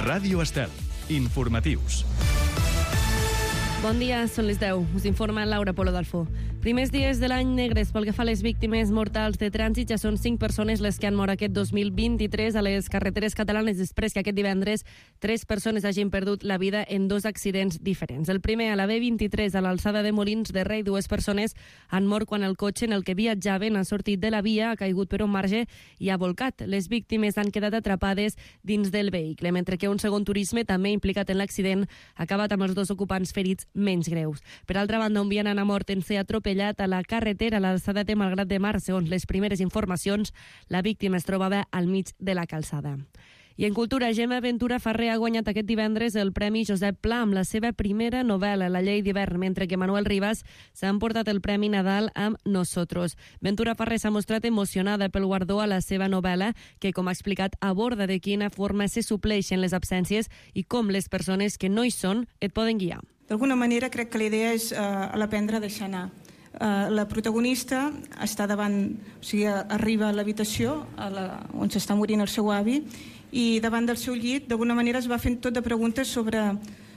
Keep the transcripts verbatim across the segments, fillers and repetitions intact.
Ràdio Estel. Informatius. Bon dia, són les deu. Us informa Laura Polo d'Alfó. Primers dies de l'any negres pel que fa a les víctimes mortals de trànsit. Ja són cinc persones les que han mort aquest dos mil vint-i-tres a les carreteres catalanes després que aquest divendres tres persones hagin perdut la vida en dos accidents diferents. El primer a la B vint-i-tres a l'alçada de Molins de Rei. Dues persones han mort quan el cotxe en el que viatjaven ha sortit de la via, ha caigut per un marge i ha volcat. Les víctimes han quedat atrapades dins del vehicle, mentre que un segon turisme també implicat en l'accident ha acabat amb els dos ocupants ferits menys greus. Per altra banda, un vianant ha mort en ser atropellat a la carretera a l'alçada de Malgrat de Mar. Segons les primeres informacions, la víctima es trobava al mig de la calçada. I en cultura, Gemma Ventura Ferrer ha guanyat aquest divendres el Premi Josep Pla amb la seva primera novel·la, La llei d'hivern, mentre que Manuel Rivas s'ha emportat el Premi Nadal amb Nosotros. Ventura Ferrer s'ha mostrat emocionada pel guardó a la seva novel·la, que, com ha explicat, aborda de quina forma se supleixen les absències i com les persones que no hi són et poden guiar. D'alguna manera crec que la idea és uh, l'aprendre a deixar anar. Uh, la protagonista està davant, o sigui, arriba a l'habitació a la, on s'està morint el seu avi i davant del seu llit d'alguna manera es va fent tot de preguntes sobre,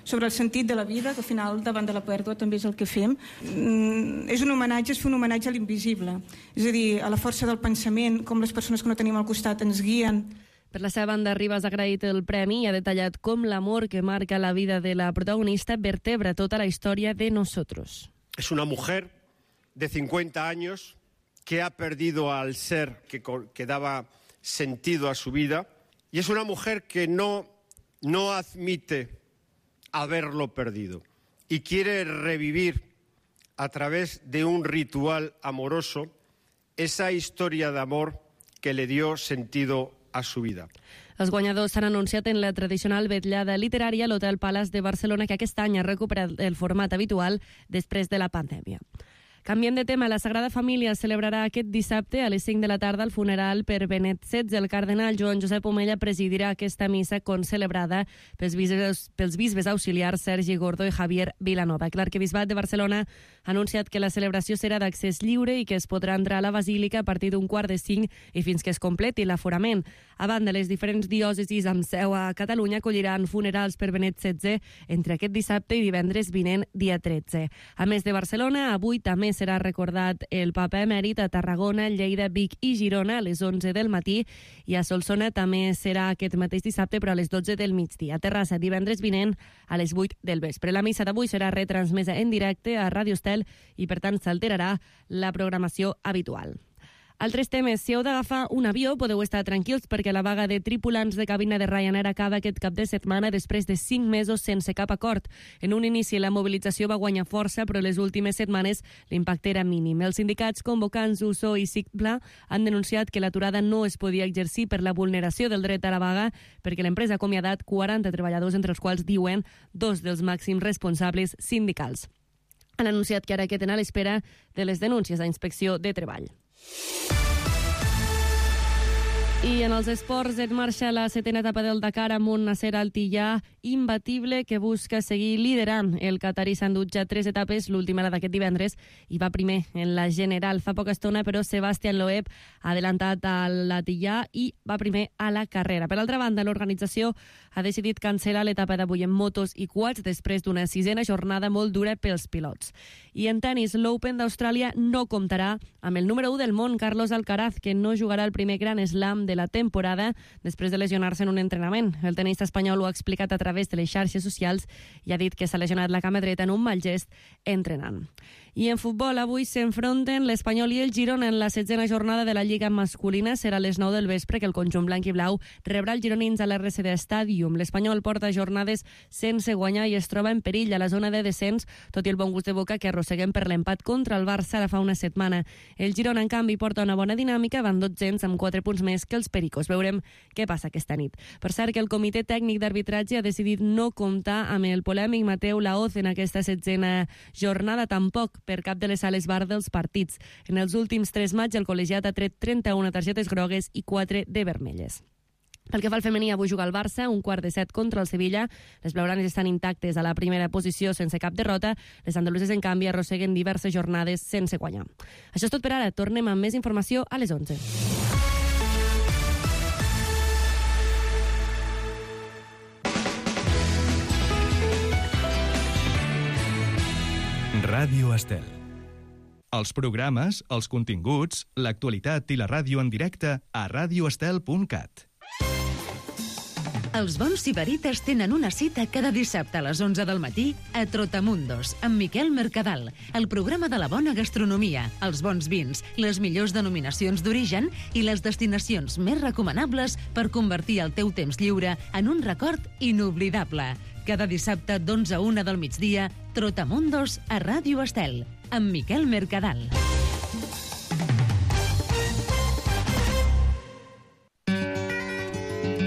sobre el sentit de la vida, que al final davant de la pèrdua també és el que fem. Mm, és un homenatge, és fer un homenatge a l'invisible, és a dir, a la força del pensament, com les persones que no tenim al costat ens guien. Per la seva banda, Rivas ha agraït el premi i ha detallat com l'amor que marca la vida de la protagonista vertebra tota la història de Nosotros. Es una mujer de cincuenta años que ha perdido al ser que, que daba sentido a su vida y es una mujer que no, no admite haberlo perdido y quiere revivir a través de un ritual amoroso esa historia de amor que le dio sentido a su vida. Els guanyadors s'han anunciat en la tradicional vetllada literària a l'Hotel Palace de Barcelona, que aquest any ha recuperat el format habitual després de la pandèmia. Canviem de tema. La Sagrada Família celebrarà aquest dissabte a les cinc de la tarda el funeral per Benet setze. El cardenal Joan Josep Omella presidirà aquesta missa concelebrada pels bisbes, pels bisbes auxiliars Sergi Gordó i Javier Vilanova. L'arquebisbat de Barcelona ha anunciat que la celebració serà d'accés lliure i que es podrà entrar a la basílica a partir d'un quart de cinc i fins que es completi l'aforament. A banda, les diferents diòcesis amb seu a Catalunya acolliran funerals per Benet setze entre aquest dissabte i divendres vinent, dia tretze. A més de Barcelona, avui també serà recordat el papa emèrit a Tarragona, Lleida, Vic i Girona a les onze del matí i a Solsona també serà aquest mateix dissabte però a les dotze del migdia. A Terrassa, divendres vinent a les vuit del vespre. La missa d'avui serà retransmesa en directe a Ràdio Estel i per tant s'alterarà la programació habitual. Altres temes. Si heu d'agafar un avió, podeu estar tranquils perquè la vaga de tripulants de cabina de Ryanair acaba aquest cap de setmana després de cinc mesos sense cap acord. En un inici la mobilització va guanyar força, però les últimes setmanes l'impacte era mínim. Els sindicats convocants U S O i SICPLA han denunciat que l'aturada no es podia exercir per la vulneració del dret a la vaga perquè l'empresa ha acomiadat quaranta treballadors, entre els quals diuen dos dels màxims responsables sindicals. Han anunciat que ara queden a l'espera de les denúncies a Inspecció de Treball. I en els esports en marxa la setena etapa del Dakar amb un Nasser Al-Tillà imbatible que busca seguir liderant. El catarí s'ha endut ja tres etapes, l'última era d'aquest divendres, i va primer en la general. Fa poca estona, però, Sebastián Loeb ha adelantat a l'Al-Tillà i va primer a la carrera. Per altra banda, l'organització ha decidit cancel·lar l'etapa d'avui en motos i quads després d'una sisena jornada molt dura pels pilots. I en tenis, l'Open d'Austràlia no comptarà amb el número u del món, Carlos Alcaraz, que no jugarà el primer Grand Slam de la temporada després de lesionar-se en un entrenament. El tenista espanyol ho ha explicat a través de les xarxes socials i ha dit que s'ha lesionat la cama dreta en un mal gest entrenant. I en futbol, avui s'enfronten l'Espanyol i el Girona en la setzena jornada de la Lliga masculina. Serà a les nou del vespre que el conjunt blanc i blau rebrà els gironins a l'R C D Stadium. L'Espanyol porta jornades sense guanyar i es troba en perill a la zona de descens, tot i el bon gust de boca que arrosseguem per l'empat contra el Barça ara fa una setmana. El Girona, en canvi, porta una bona dinàmica, van dotzens amb quatre punts més que els Pericos. Veurem què passa aquesta nit. Per cert, que el Comitè Tècnic d'Arbitratge ha decidit no comptar amb el polèmic Mateu Laoz en aquesta setzena jornada, tampoc per cap de les sales bar dels partits. En els últims tres matxs, el col·legiat ha tret trenta-una targetes grogues i quatre de vermelles. Pel que fa al femení, avui juga el Barça, un quart de set contra el Sevilla. Les blaugranes estan intactes a la primera posició sense cap derrota. Les andaluses, en canvi, arrosseguen diverses jornades sense guanyar. Això és tot per ara. Tornem amb més informació a les onze. Ràdio Estel. Els programes, els continguts, l'actualitat i la ràdio en directe a radioestel punt cat. Els bons sibarites tenen una cita cada dissabte a les onze del matí a Trotamundos, amb Miquel Mercadal, el programa de la bona gastronomia, els bons vins, les millors denominacions d'origen i les destinacions més recomanables per convertir el teu temps lliure en un record inoblidable. Cada dissabte d'onze a una del migdia, Trotamundos a Ràdio Estel, amb Miquel Mercadal.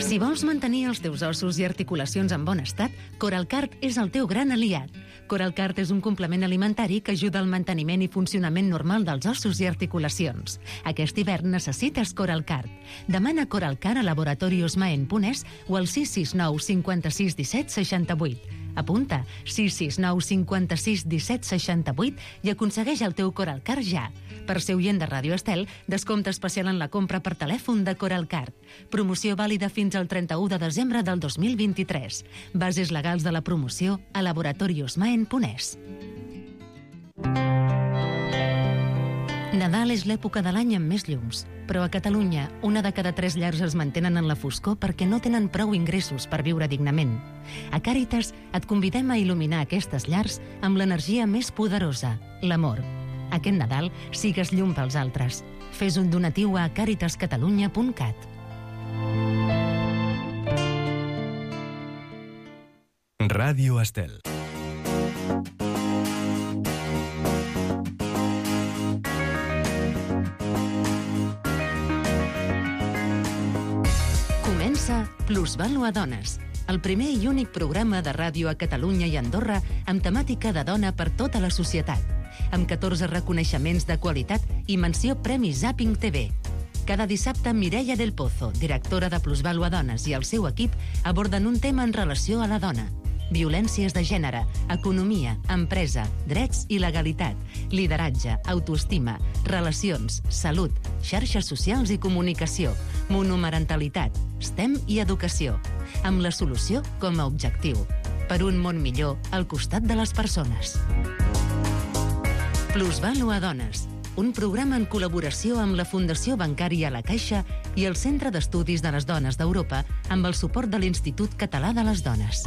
Si vols mantenir els teus ossos i articulacions en bon estat, Coralcart és el teu gran aliat. Coralcart és un complement alimentari que ajuda al manteniment i funcionament normal dels ossos i articulacions. Aquest hivern necessites Coralcart. Demana Coralcart a Laboratorios Maen Punès o al sis sis nou cinquanta-sis disset seixanta-vuit. Apunta sis sis nou cinquanta-sis disset seixanta-vuit i aconsegueix el teu Coralcart ja. Per ser oient de Ràdio Estel, descompte especial en la compra per telèfon de Coralcart. Promoció vàlida fins al trenta-u de desembre del dos mil vint-i-tres. Bases legals de la promoció a Laboratorios Maen Punès. Nadal és l'època de l'any amb més llums, però a Catalunya una de cada tres llars es mantenen en la foscor perquè no tenen prou ingressos per viure dignament. A Càritas et convidem a il·luminar aquestes llars amb l'energia més poderosa, l'amor. Aquest Nadal sigues llum pels altres. Fes un donatiu a càritas catalunya punt cat. Ràdio Estel. Comença Plusvàlua Dones, el primer i únic programa de ràdio a Catalunya i Andorra amb temàtica de dona per tota la societat, amb catorze reconeixements de qualitat i menció Premi Zapping T V. Cada dissabte, Mireia del Pozo, directora de Plusvàlua Dones, i el seu equip aborden un tema en relació a la dona. Violències de gènere, economia, empresa, drets i legalitat, lideratge, autoestima, relacions, salut, xarxes socials i comunicació, monomarentalitat, STEM i educació, amb la solució com a objectiu, per un món millor al costat de les persones. Plusvàlua Dones, un programa en col·laboració amb la Fundació Bancària La Caixa i el Centre d'Estudis de les Dones d'Europa amb el suport de l'Institut Català de les Dones.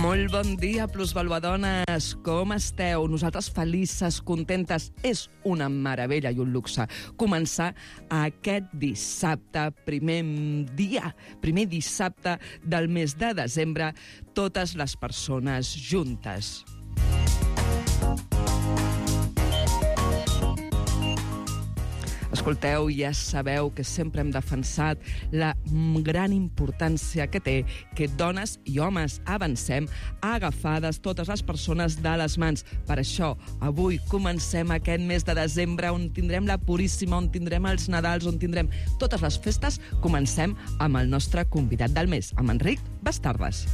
Molt bon dia, plusvaluadones. Com esteu? Nosaltres felices, contentes. És una meravella i un luxe començar aquest dissabte, primer dia, primer dissabte del mes de desembre, totes les persones juntes. Escolteu, ja sabeu que sempre hem defensat la gran importància que té que dones i homes avancem agafades totes les persones de les mans. Per això, avui comencem aquest mes de desembre on tindrem la Puríssima, on tindrem els Nadals, on tindrem totes les festes. Comencem amb el nostre convidat del mes, amb Enric Bastardes.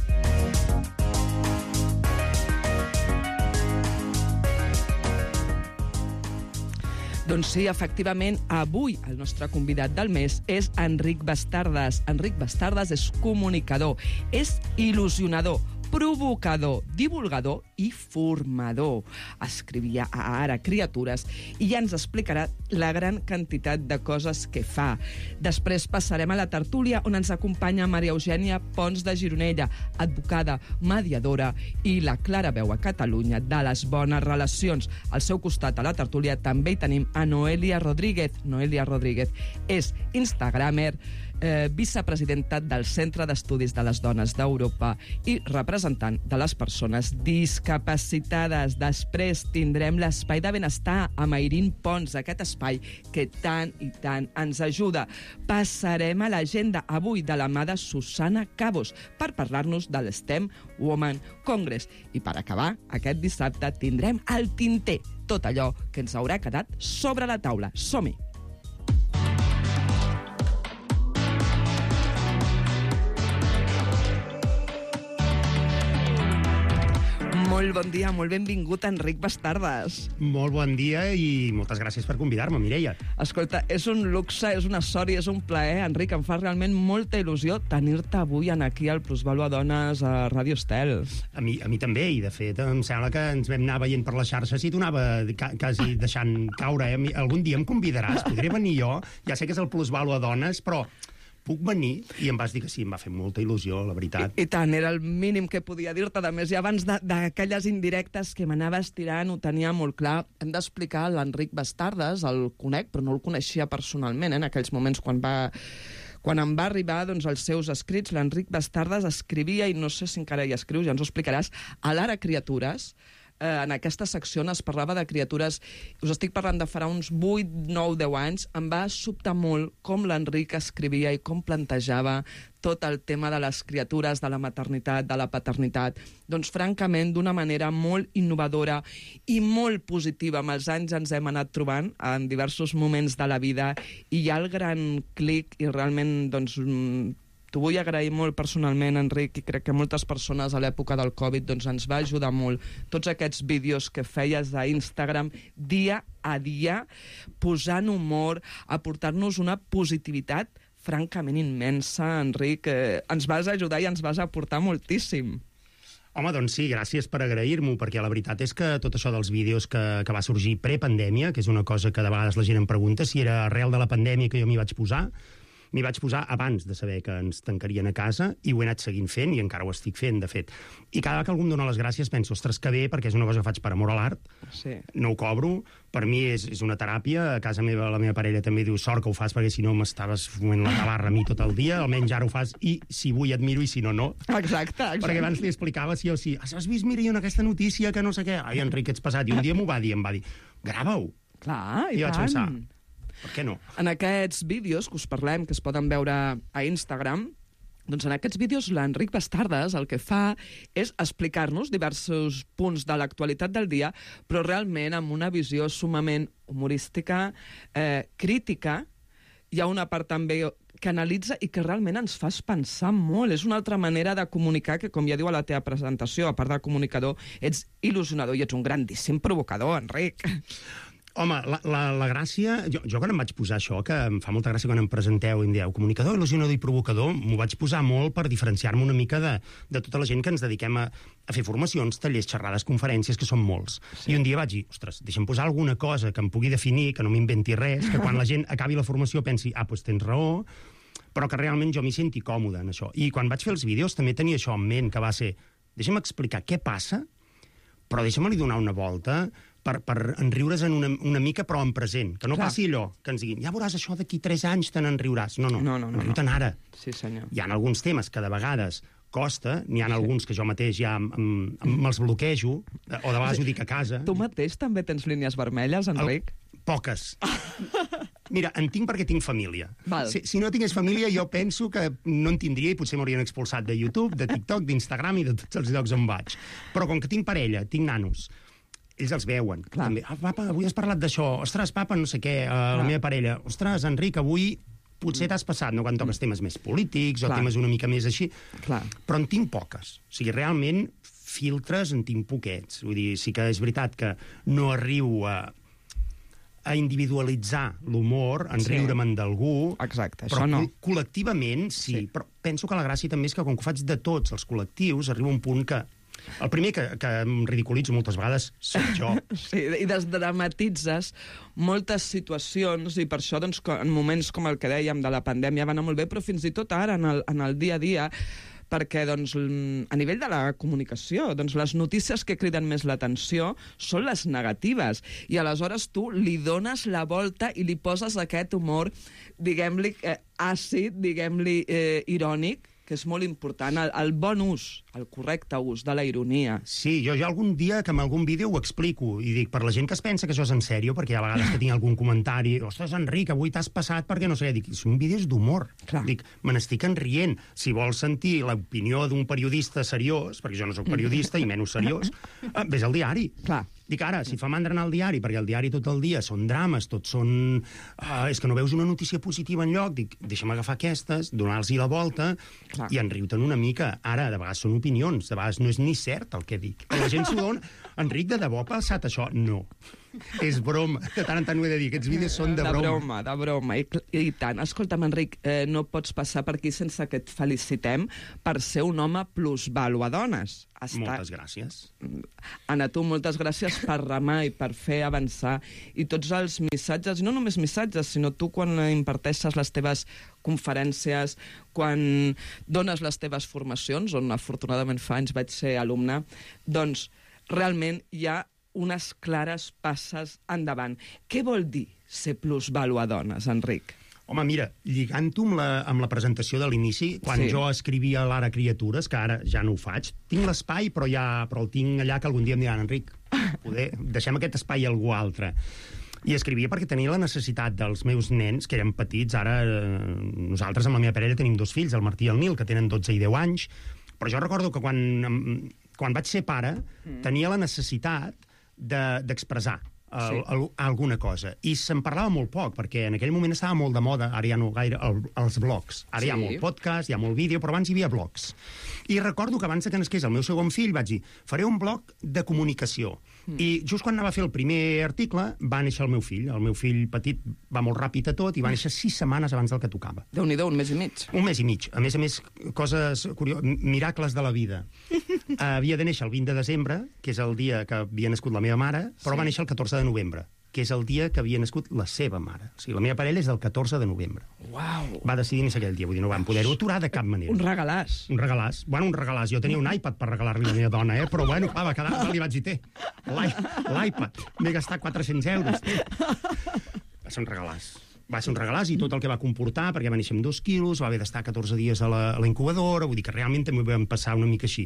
Doncs sí, efectivament, avui el nostre convidat del mes és Enric Bastardes. Enric Bastardes és comunicador, és il·lusionador, provocador, divulgador i formador. Escrivia a Ara Criatures i ja ens explicarà la gran quantitat de coses que fa. Després passarem a la tertúlia on ens acompanya Maria Eugènia Pons de Gironella, advocada, mediadora i la clara veu a Catalunya de les bones relacions. Al seu costat a la tertúlia també hi tenim a Noelia Rodríguez. Noelia Rodríguez és instagramer, Eh, vicepresidenta del Centre d'Estudis de les Dones d'Europa i representant de les persones discapacitades. Després tindrem l'Espai de Benestar amb Airín Pons, aquest espai que tant i tant ens ajuda. Passarem a l'agenda avui de la mà de Susana Cabos per parlar-nos de l'STEM Women Congress. I per acabar, aquest dissabte tindrem el tinter, tot allò que ens haurà quedat sobre la taula. Som-hi! Molt bon dia, molt benvingut, Enric Bastardes. Molt bon dia i moltes gràcies per convidar-me, Mireia. Escolta, és un luxe, és una sort i és un plaer, Enric, em fa realment molta il·lusió tenir-te avui aquí al Plusvàlua Dones a Ràdio Estel. A mi, a mi també, i de fet em sembla que ens vam anar veient per les xarxes i t'ho anava ca quasi deixant caure. Eh? Algun dia em convidaràs, podré venir jo, ja sé que és el Plusvàlua Dones, però puc venir? I em vas dir que sí, em va fer molta il·lusió, la veritat. I, i tant, era el mínim que podia dir-te. A més, i abans d'aquelles indirectes que m'anaves tirant, ho tenia molt clar. Hem d'explicar l'Enric Bastardes, el conec, però no el coneixia personalment, eh, en aquells moments quan va... Quan em va arribar doncs, els seus escrits, l'Enric Bastardes escrivia, i no sé si encara hi escriu, ja ens ho explicaràs, a l'Ara Criatures. Eh, en aquesta secció on es parlava de criatures, us estic parlant de farà uns vuit, nou, deu anys, em va sobtar molt com l'Enric escrivia i com plantejava tot el tema de les criatures, de la maternitat, de la paternitat. Doncs, francament, d'una manera molt innovadora i molt positiva. Amb els anys ens hem anat trobant en diversos moments de la vida i hi ha el gran clic i realment, doncs, t'ho vull agrair molt personalment, Enric, i crec que moltes persones a l'època del Covid doncs, ens va ajudar molt. Tots aquests vídeos que feies a Instagram dia a dia, posant humor, aportar-nos una positivitat francament immensa, Enric. Eh, ens vas ajudar i ens vas aportar moltíssim. Home, doncs sí, gràcies per agrair-m'ho, perquè la veritat és que tot això dels vídeos que, que va sorgir prepandèmia, que és una cosa que de vegades la gent em pregunta si era arrel de la pandèmia que jo m'hi vaig posar, m'hi vaig posar abans de saber que ens tancarien a casa i ho he anat seguint fent i encara ho estic fent, de fet. I cada vegada que algú em dona les gràcies penso, ostres, que bé, perquè és una cosa que faig per amor a l'art, sí. No ho cobro, per mi és, és una teràpia, a casa meva la meva parella també diu sort que ho fas perquè si no m'estaves fumant la tabarra a mi tot el dia, almenys ara ho fas i si vull admiro i si no, no. Exacte, exacte. Perquè abans li explicava sí o sí, has vist, mira, en aquesta notícia que no sé què, ai, Enric, ets passat, i un dia m'ho va dir, em va dir, grava-ho. Clar, i, I tant. vaig pensar, per què no? En aquests vídeos que us parlem, que es poden veure a Instagram, doncs en aquests vídeos l'Enric Bastardes el que fa és explicar-nos diversos punts de l'actualitat del dia, però realment amb una visió sumament humorística, eh, crítica. Hi ha una part també que analitza i que realment ens fas pensar molt. És una altra manera de comunicar que, com ja diu a la teva presentació, a part de comunicador, ets il·lusionador i ets un grandíssim provocador, Enric. Home, la, la, la gràcia... Jo, jo quan em vaig posar això, que em fa molta gràcia quan em presenteu i em dieu comunicador, il·lusionador i provocador, m'ho vaig posar molt per diferenciar-me una mica de, de tota la gent que ens dediquem a, a fer formacions, tallers, xerrades, conferències, que són molts. Sí. I un dia vaig dir, ostres, deixa'm posar alguna cosa que em pugui definir, que no m'inventi res, que quan la gent acabi la formació pensi, ah, doncs tens raó, però que realment jo m'hi senti còmode en això. I quan vaig fer els vídeos també tenia això en ment, que va ser, deixa'm explicar què passa, però deixa'm-li donar una volta per, per enriure's en una, una mica, però en present. Que no Clar. Passi allò, que ens diguin, ja veuràs això d'aquí tres anys, te n'enriuràs. No, no, no, no, no, enriu-te'n ara. Sí, senyor. Hi ha alguns temes que de vegades costa, n'hi ha sí. alguns que jo mateix ja me'ls bloquejo, o de vegades ho dic a casa. Tu mateix també tens línies vermelles, Enric? El, poques. Mira, en tinc perquè tinc família. Val. Si, si no tingués família, jo penso que no en tindria i potser m'haurien expulsat de YouTube, de TikTok, d'Instagram i de tots els llocs on vaig. Però com que tinc parella, tinc nanos, ells els veuen. També. Ah, papa, avui has parlat d'això. Ostres, papa, no sé què, uh, la meva parella. Ostres, Enric, avui potser t'has passat, no? Quan toques temes més polítics o Clar. temes una mica més així. Clar. Però en tinc poques. O sigui, realment, filtres en tinc poquets. Vull dir, sí que és veritat que no arribo a a individualitzar l'humor, en sí. riure-me'n d'algú. Exacte, però això no. Col·lectivament, sí, sí. Però penso que la gràcia també és que, com que ho faig de tots els col·lectius, arriba un punt que el primer que, que em ridiculitzo moltes vegades soc jo. Sí, i desdramatitzes moltes situacions, i per això, doncs, en moments com el que dèiem de la pandèmia va anar molt bé, però fins i tot ara, en el, en el dia a dia, perquè doncs, a nivell de la comunicació, doncs, les notícies que criden més l'atenció són les negatives, i aleshores tu li dones la volta i li poses aquest humor, diguem-li, eh, àcid, diguem-li, eh, irònic, que és molt important, el, el bon ús, el correcte ús de la ironia. Sí, jo, jo algun dia que en algun vídeo ho explico i dic, per la gent que es pensa que això és en sèrio, perquè hi ha vegades que tinc algun comentari, ostres, Enric, avui t'has passat perquè no sé, dic, són vídeos d'humor. Dic, me n'estic enrient. Si vols sentir l'opinió d'un periodista seriós, perquè jo no sóc periodista i menys seriós, eh, ves al diari. Clar. Dic, ara, si fa mandra anar al diari, perquè el diari tot el dia són drames, tots són... Uh, és que no veus una notícia positiva enlloc, dic, deixa'm agafar aquestes, donar-los la volta Clar. i enriu-te'n una mica. Ara, de vegades són opinions, de vegades no és ni cert el que dic. La gent s'ho dona... Enric, de debò ha passat això? No. És broma. De tant en tant ho he de dir. Aquests vídeos són de broma. De broma, de broma. I, i tant. Escolta'm, Enric, eh, no pots passar per aquí sense que et felicitem per ser un home plusvàlua dones. Està... Moltes gràcies. Anna, tu, moltes gràcies per remar i per fer avançar. I tots els missatges, no només missatges, sinó tu quan imparteixes les teves conferències, quan dones les teves formacions, on afortunadament fa anys vaig ser alumne, doncs realment hi ha unes clares passes endavant. Què vol dir ser plusvàlua dones, Enric? Home, mira, lligant-ho amb, la, amb la presentació de l'inici, quan sí. jo escrivia a l'Ara Criatures, que ara ja no ho faig, tinc l'espai, però ja però el tinc allà que algun dia em diran, Enric, poder, deixem aquest espai a algú altre. I escrivia perquè tenia la necessitat dels meus nens, que eren petits, ara eh, nosaltres amb la meva parella tenim dos fills, el Martí i el Nil, que tenen dotze i deu anys, però jo recordo que quan, quan vaig ser pare mm. tenia la necessitat d'expressar de, el, sí. el, alguna cosa. I se'n parlava molt poc, perquè en aquell moment estava molt de moda, ara ja no gaire, el, els blogs. Ara sí. hi ha molt podcast, hi ha molt vídeo, però abans hi havia blogs. I recordo que abans que nasqués el meu segon fill vaig dir, faré un blog de comunicació. Mm. I just quan anava a fer el primer article va néixer el meu fill. El meu fill petit va molt ràpid a tot i va néixer sis setmanes abans del que tocava. Déu-n'hi-do, un mes i mig. Un mes i mig. A més a més, coses curioses, miracles de la vida. uh, havia de néixer el vint de desembre, que és el dia que havia nascut la meva mare, però sí. va néixer el catorze de novembre, que és el dia que havia nascut la seva mare. O sigui, la meva parella és del catorze de novembre. Uau! Va decidir néixer aquell dia, vull dir, no vam poder-ho aturar de cap manera. Un regalàs. Un regalàs. Bueno, un regalàs. Jo tenia un iPad per regalar-li a la meva dona, eh? Però bueno, clar, va quedar, li vaig dir, té, l'iPad. M'he gastat quatre-cents euros, té. Va ser un regalàs. Va ser un regalàs i tot el que va comportar, perquè va néixer amb dos quilos, va haver d'estar catorze dies a la, a la incubadora, vull dir que realment també ho vam passar una mica així.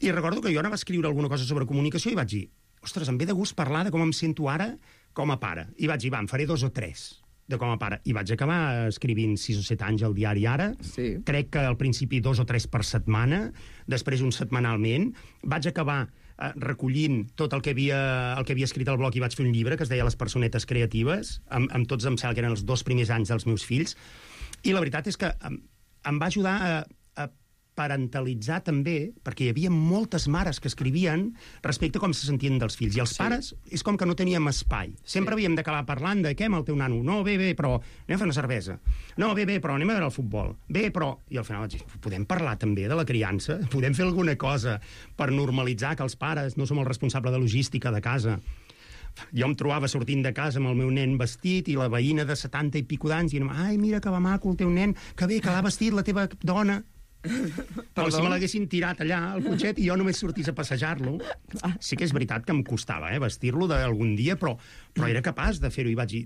I recordo que jo anava a escriure alguna cosa sobre comunicació i vaig dir, ostres, em ve de gust parlar de com em sento ara com a pare. I vaig dir, va, em faré dos o tres de com a pare. I vaig acabar escrivint sis o set anys al diari Ara. Sí. Crec que al principi dos o tres per setmana, després un setmanalment. Vaig acabar eh, recollint tot el que, havia, el que havia escrit al blog i vaig fer un llibre que es deia Les personetes creatives, amb, amb tots, em sembla que eren els dos primers anys dels meus fills. I la veritat és que em, em va ajudar a, a parentalitzar també, perquè hi havia moltes mares que escrivien respecte a com se sentien dels fills. I els sí. pares és com que no teníem espai. Sempre sí. havíem d'acabar parlant de què amb el teu nano. No, bé, bé, però anem a fer una cervesa. No, bé, bé, però anem a veure el futbol. Bé, però... I al final vaig dir, podem parlar també de la criança? Podem fer alguna cosa per normalitzar que els pares no som el responsable de logística de casa? Jo em trobava sortint de casa amb el meu nen vestit i la veïna de setanta i pico d'anys i dient, ai, mira que va maco el teu nen, que bé, que l'ha vestit la teva dona. Com si me l'haguessin tirat allà al cotxet i jo només sortís a passejar-lo. Sí que és veritat que em costava eh, vestir-lo d'algun dia, però, però era capaç de fer-ho. I vaig dir,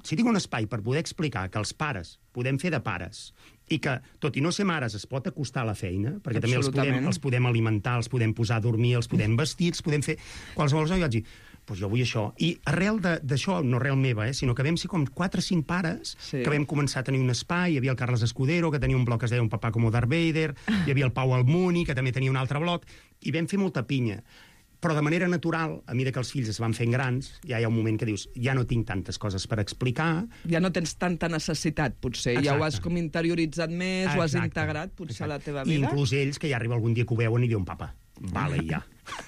si tinc un espai per poder explicar que els pares podem fer de pares i que, tot i no ser mares, es pot acostar a la feina, perquè també els podem, els podem alimentar, els podem posar a dormir, els podem vestir, els podem fer qualsevol cosa, i vaig dir, doncs jo vull això. I arrel d'això, no arrel meva, eh, sinó que vam ser com quatre o cinc pares sí. que vam començar a tenir un espai. Hi havia el Carles Escudero, que tenia un blog que es deia Un papà com Darth Vader, hi havia el Pau Almuni, que també tenia un altre blog, i vam fer molta pinya. Però de manera natural, a mesura que els fills es van fent grans, ja hi ha un moment que dius, ja no tinc tantes coses per explicar. Ja no tens tanta necessitat, potser. Exacte. Ja ho has com interioritzat més, Exacte. Ho has integrat, potser, Exacte. A la teva vida. I inclús ells, que ja arriba algun dia que ho veuen i diuen, papa, vale, ja.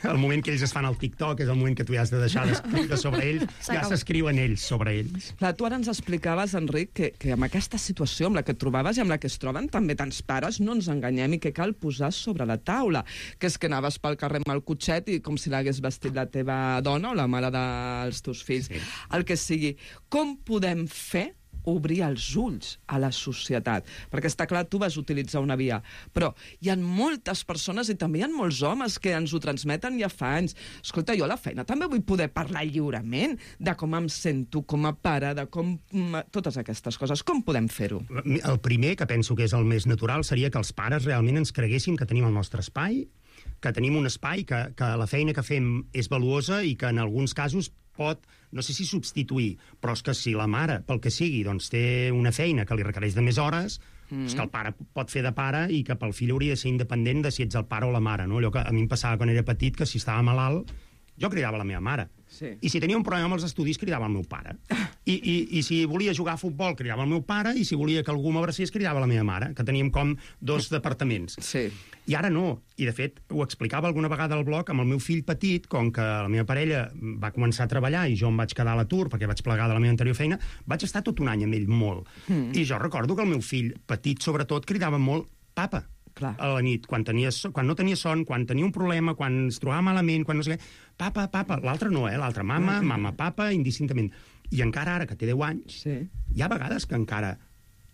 El moment que ells es fan al TikTok és el moment que tu ja has de deixar d'escriure sobre ells, ja s'escriuen ells sobre ells. Clar, tu ara ens explicaves, Enric, que, que amb aquesta situació amb la que et trobaves i amb la que es troben també tants pares, no ens enganyem, i que cal posar sobre la taula, que és que anaves pel carrer amb el cotxet i com si l'hagués vestit la teva dona o la mare dels teus fills. Sí. El que sigui. Com podem fer obrir els ulls a la societat? Perquè està clar, tu vas utilitzar una via, però hi ha moltes persones i també hi ha molts homes que ens ho transmeten ja fa anys. Escolta, jo a la feina també vull poder parlar lliurement de com em sento com a pare, de com... totes aquestes coses. Com podem fer-ho? El primer, que penso que és el més natural, seria que els pares realment ens creguéssim que tenim el nostre espai, que tenim un espai, que, que la feina que fem és valuosa i que en alguns casos pot, no sé si substituir, però és que si la mare, pel que sigui, doncs té una feina que li requereix de més hores, mm. és que el pare pot fer de pare i que pel fill hauria de ser independent de si ets el pare o la mare, no? Allò que a mi em passava quan era petit, que si estava malalt, jo cridava la meva mare. Sí. I si tenia un problema amb els estudis, cridava el meu pare. I, i, I si volia jugar a futbol, cridava el meu pare, i si volia que algú m'abracés, cridava la meva mare, que teníem com dos departaments. Sí. I ara no. I, de fet, ho explicava alguna vegada al blog, amb el meu fill petit, com que la meva parella va començar a treballar i jo em vaig quedar a l'atur perquè vaig plegar de la meva anterior feina, vaig estar tot un any amb ell molt. Mm. I jo recordo que el meu fill petit, sobretot, cridava molt papa. Clar. A la nit, quan, tenia, quan no tenia son, quan tenia un problema, quan es trobava malament, quan no sé què, papa, papa, l'altre no, eh? L'altre mama, mm. mama, papa, indistintament. I encara ara, que té deu anys, sí. hi ha vegades que encara...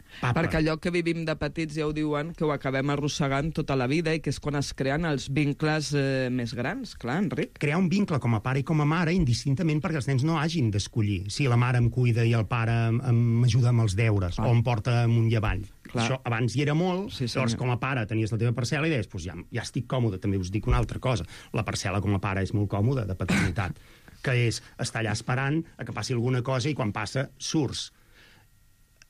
Papa. Perquè allò que vivim de petits ja ho diuen, que ho acabem arrossegant tota la vida i que és quan es creen els vincles eh, més grans, clar, Enric. Crear un vincle com a pare i com a mare indistintament perquè els nens no hagin d'escollir si la mare em cuida i el pare m'ajuda amb els deures, ah. o em porta amunt i avall. Clar. Això abans hi era molt, sí, llavors com a pare tenies la teva parcel·la i deies, pues ja, ja estic còmode. També us dic una altra cosa, la parcel·la com a pare és molt còmoda, de paternitat, que és estar allà esperant a que passi alguna cosa i quan passa surts.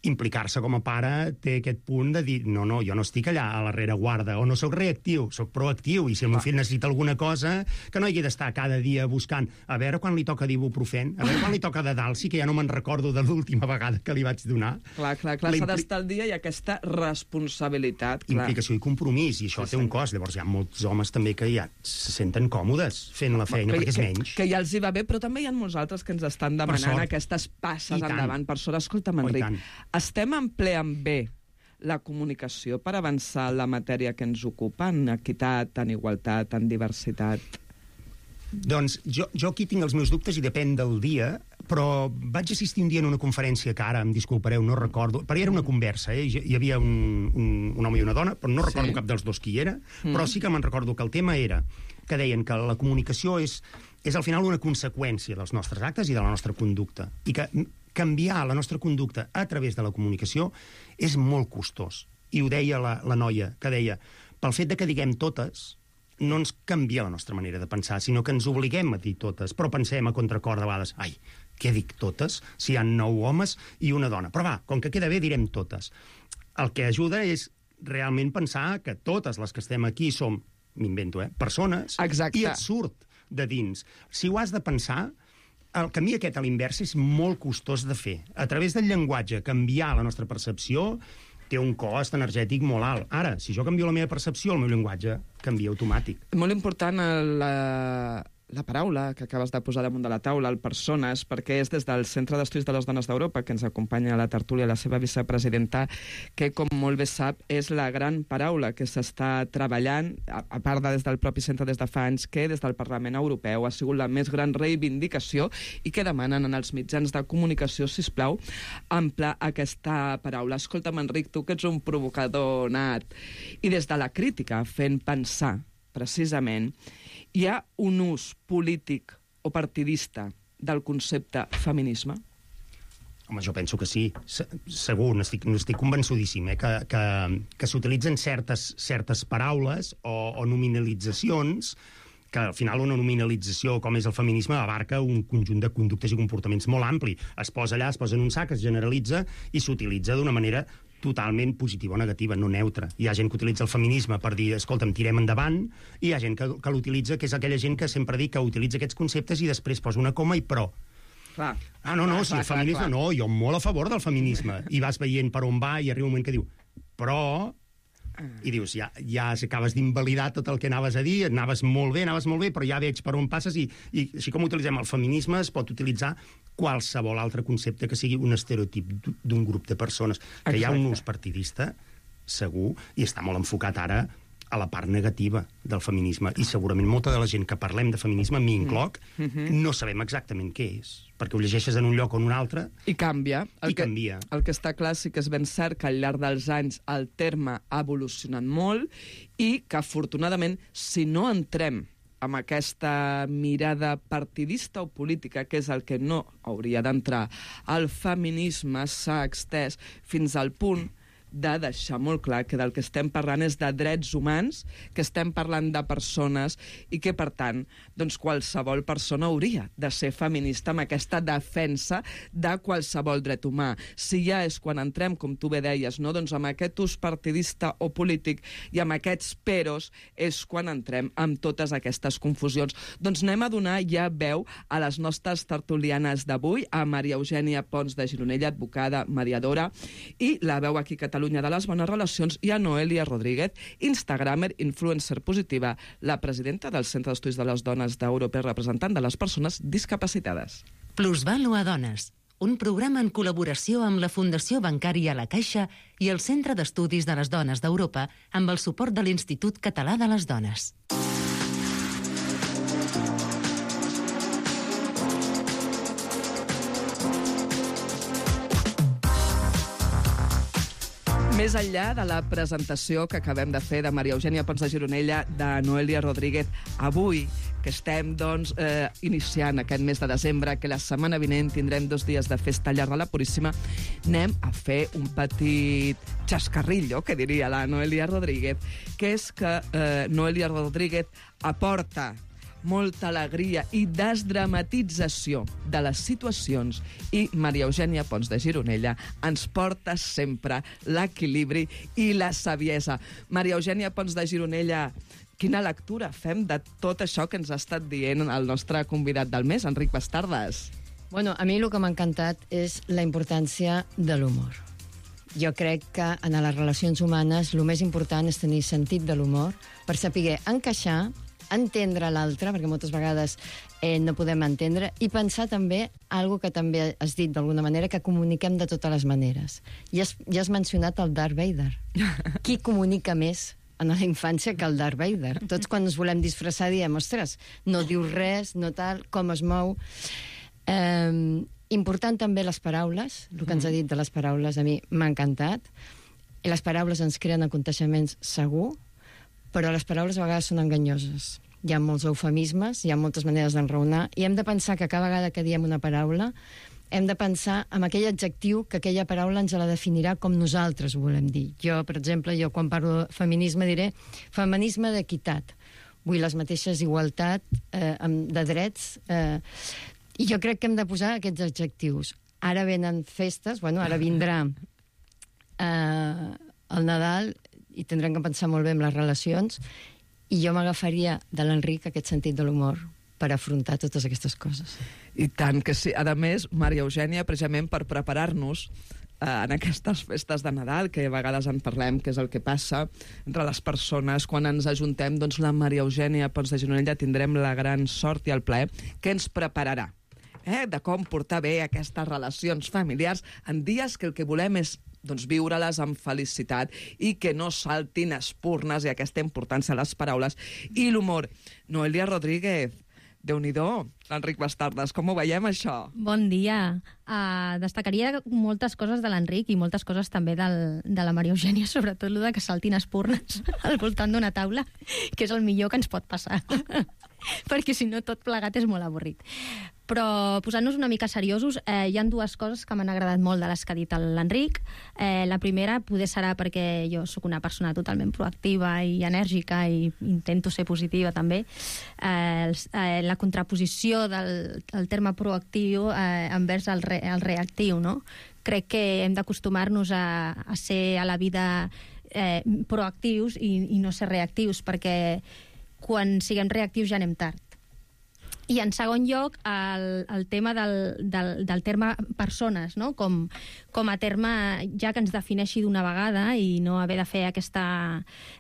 Implicar-se com a pare té aquest punt de dir no, no, jo no estic allà a la rereguarda, o no sóc reactiu, sóc proactiu, i si el meu fill necessita alguna cosa, que no hagi d'estar cada dia buscant a veure quan li toca d'ibuprofèn, a veure quan li toca de Dalsi, que ja no me'n recordo de l'última vegada que li vaig donar. Clar, clar, clar, s'ha d'estar al dia i aquesta responsabilitat. Clar. Implicació i compromís, i això sí, té un cost. Llavors hi ha molts homes també que ja se senten còmodes fent la feina, que, perquè és que, menys. Que ja els hi va bé, però també hi ha molts altres que ens estan demanant aquestes passes endavant. Per sort, escolta'm, Enric, estem en ple amb bé la comunicació per avançar en la matèria que ens ocupa, en equitat, en igualtat, en diversitat? Doncs jo, jo aquí tinc els meus dubtes i depèn del dia, però vaig assistir un dia en una conferència que ara, em disculpareu, no recordo, però era una conversa, eh? Hi havia un, un, un home i una dona, però no recordo sí. cap dels dos qui era, mm. però sí que me'n recordo que el tema era que deien que la comunicació és, és al final una conseqüència dels nostres actes i de la nostra conducta, i que canviar la nostra conducta a través de la comunicació és molt costós. I ho deia la, la noia, que deia, pel fet de que diguem totes, no ens canvia la nostra manera de pensar, sinó que ens obliguem a dir totes, però pensem a contracor de vegades, ai, què dic totes? Si hi ha nou homes i una dona. Però va, com que queda bé, direm totes. El que ajuda és realment pensar que totes les que estem aquí som, m'invento, eh, persones, exacte. I et surt de dins. Si ho has de pensar, el camí aquest a l'invers és molt costós de fer. A través del llenguatge, canviar la nostra percepció té un cost energètic molt alt. Ara, si jo canvio la meva percepció, el meu llenguatge canvia automàtic. Molt important la, la paraula que acabes de posar damunt de la taula, el persones, perquè és des del Centre d'Estudis de les Dones d'Europa, que ens acompanya a la tertúlia la seva vicepresidenta, que, com molt bé sap, és la gran paraula que s'està treballant, a, a part de des del propi centre des de fa anys, que des del Parlament Europeu ha sigut la més gran reivindicació i que demanen en els mitjans de comunicació, sisplau, ampla aquesta paraula. Escolta'm, Enric, tu que ets un provocador nat, i des de la crítica fent pensar, precisament, hi ha un ús polític o partidista del concepte feminisme? Home, jo penso que sí, Se segur, n'estic n'estic convençudíssim, eh? que, que, que s'utilitzen certes, certes paraules o, o nominalitzacions, que al final una nominalització com és el feminisme abarca un conjunt de conductes i comportaments molt ampli. Es posa allà, es posa en un sac, es generalitza i s'utilitza d'una manera totalment positiva o negativa, no neutra. Hi ha gent que utilitza el feminisme per dir, escolta'm, tirem endavant, i hi ha gent que, que l'utilitza, que és aquella gent que sempre dic que utilitza aquests conceptes i després posa una coma i però. Clar. Ah, no, no, clar, si clar, el feminisme... Clar, clar. No, jo molt a favor del feminisme. I vas veient per on va i arriba un moment que diu, però... I dius, ja, ja acabes d'invalidar tot el que anaves a dir, anaves molt bé, anaves molt bé, però ja veig per on passes i, i així com utilitzem el feminisme es pot utilitzar qualsevol altre concepte que sigui un estereotip d'un grup de persones. Que Exacte. Hi ha un ús partidista, segur, i està molt enfocat ara a la part negativa del feminisme. I segurament molta de la gent que parlem de feminisme, m'hi incloc, mm -hmm. no sabem exactament què és, perquè ho llegeixes en un lloc o en un altre... I canvia. El I que, canvia. El que està clar sí que és ben cert que al llarg dels anys el terme ha evolucionat molt i que, afortunadament, si no entrem amb aquesta mirada partidista o política, que és el que no hauria d'entrar, el feminisme s'ha extès fins al punt de deixar molt clar que del que estem parlant és de drets humans, que estem parlant de persones i que, per tant, doncs qualsevol persona hauria de ser feminista amb aquesta defensa de qualsevol dret humà. Si ja és quan entrem, com tu bé deies, no? doncs amb aquest ús partidista o polític i amb aquests peros és quan entrem amb totes aquestes confusions. Doncs anem a donar ja veu a les nostres tertulianes d'avui, a Maria Eugènia Pons de Gironella, advocada, mediadora, i la veu aquí Catalunya de les Bones Relacions, i a Noelia Rodríguez, instagramer, influencer positiva, la presidenta del Centre d'Estudis de les Dones d'Europa i representant de les persones discapacitades. Plusvàlua Dones, un programa en col·laboració amb la Fundació Bancària La Caixa i el Centre d'Estudis de les Dones d'Europa amb el suport de l'Institut Català de les Dones. Més enllà de la presentació que acabem de fer de Maria Eugènia Pons de Gironella, de Noelia Rodríguez, avui, que estem doncs, eh, iniciant aquest mes de desembre, que la setmana vinent tindrem dos dies de festa llarga a la Puríssima, anem a fer un petit xascarrillo, que diria la Noelia Rodríguez, que és que eh, Noelia Rodríguez aporta molta alegria i desdramatització de les situacions, i Maria Eugènia Pons de Gironella ens porta sempre l'equilibri i la saviesa. Maria Eugènia Pons de Gironella, quina lectura fem de tot això que ens ha estat dient el nostre convidat del mes, Enric Bastardas? Bueno, a mi el que m'ha encantat és la importància de l'humor. Jo crec que en les relacions humanes el més important és tenir sentit de l'humor per saber encaixar, entendre l'altre, perquè moltes vegades eh, no podem entendre, i pensar també algo que també has dit d'alguna manera, que comuniquem de totes les maneres. I has, ja has mencionat el Darth Vader. Qui comunica més en la infància que el Darth Vader? Tots quan ens volem disfressar diem, ostres, no diu res, no tal, com es mou. Eh, important també les paraules, el que ens ha dit de les paraules a mi m'ha encantat. I les paraules ens creen aconteixements segur, però les paraules a vegades són enganyoses. Hi ha molts eufemismes, hi ha moltes maneres d'enraonar, i hem de pensar que cada vegada que diem una paraula hem de pensar en aquell adjectiu que aquella paraula ens la definirà com nosaltres ho volem dir. Jo, per exemple, jo quan parlo de feminisme diré feminisme d'equitat. Vull les mateixes igualtat eh, de drets, eh, i jo crec que hem de posar aquests adjectius. Ara venen festes, bueno, ara vindrà eh, el Nadal, i tindrem que pensar molt bé en les relacions, i jo m'agafaria de l'Enric aquest sentit de l'humor per afrontar totes aquestes coses. I tant que sí. A més, Maria Eugènia, precisament per preparar-nos eh, en aquestes festes de Nadal, que a vegades en parlem, que és el que passa entre les persones, quan ens ajuntem, doncs la Maria Eugènia Pons de Gironella tindrem la gran sort i el plaer que ens prepararà eh, de com portar bé aquestes relacions familiars en dies que el que volem és doncs viure-les amb felicitat i que no saltin espurnes, i aquesta importància a les paraules i l'humor. Noelia Rodríguez, Déu-n'hi-do, l'Enric Bastardas, com ho veiem, això? Bon dia. Uh, destacaria moltes coses de l'Enric i moltes coses també del, de la Maria Eugènia, sobretot el de que saltin espurnes al voltant d'una taula, que és el millor que ens pot passar. Perquè si no tot plegat és molt avorrit. Però posant-nos una mica seriosos, eh, hi ha dues coses que m'han agradat molt de les que ha dit l'Enric. Eh, la primera poder serà perquè jo sóc una persona totalment proactiva i enèrgica i intento ser positiva també. Eh, el, eh, la contraposició del, del terme proactiu eh, envers el, re, el reactiu, no? Crec que hem d'acostumar-nos a, a ser a la vida eh, proactius i, i no ser reactius, perquè quan siguem reactius ja anem tard. I en segon lloc, el, el tema del, del, del terme persones, no? com, com a terme ja que ens defineixi d'una vegada i no haver de fer aquesta,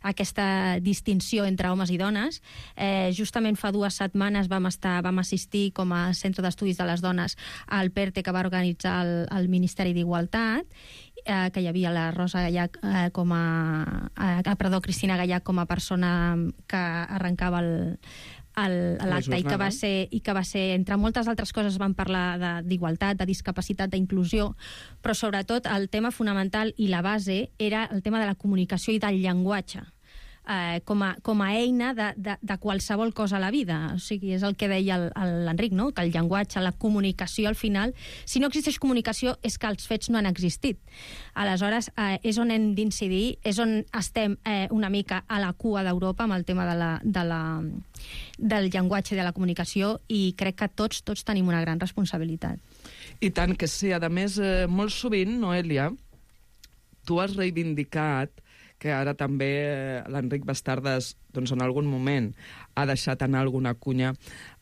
aquesta distinció entre homes i dones. Eh, justament fa dues setmanes vam, estar, vam assistir com a Centre d'Estudis de les Dones al PERTE que va organitzar el, el Ministeri d'Igualtat, eh, que hi havia la Rosa Gallach eh, com a... Eh, perdó, Cristina Gallach com a persona que arrencava el l'acte i que va ser, i que va ser, entre moltes altres coses, van parlar d'igualtat, de, de discapacitat, d'inclusió, però sobretot el tema fonamental i la base era el tema de la comunicació i del llenguatge. eh, com, a, com a eina de, de, de qualsevol cosa a la vida. O sigui, és el que deia l'Enric, no? Que el llenguatge, la comunicació, al final, si no existeix comunicació, és que els fets no han existit. Aleshores, eh, és on hem d'incidir, és on estem eh, una mica a la cua d'Europa amb el tema de la, de la, del llenguatge i de la comunicació, i crec que tots, tots tenim una gran responsabilitat. I tant que sí. A més, eh, molt sovint, Noelia, tu has reivindicat que ara també l'Enric Bastardas, doncs en algun moment, ha deixat anar alguna cunya,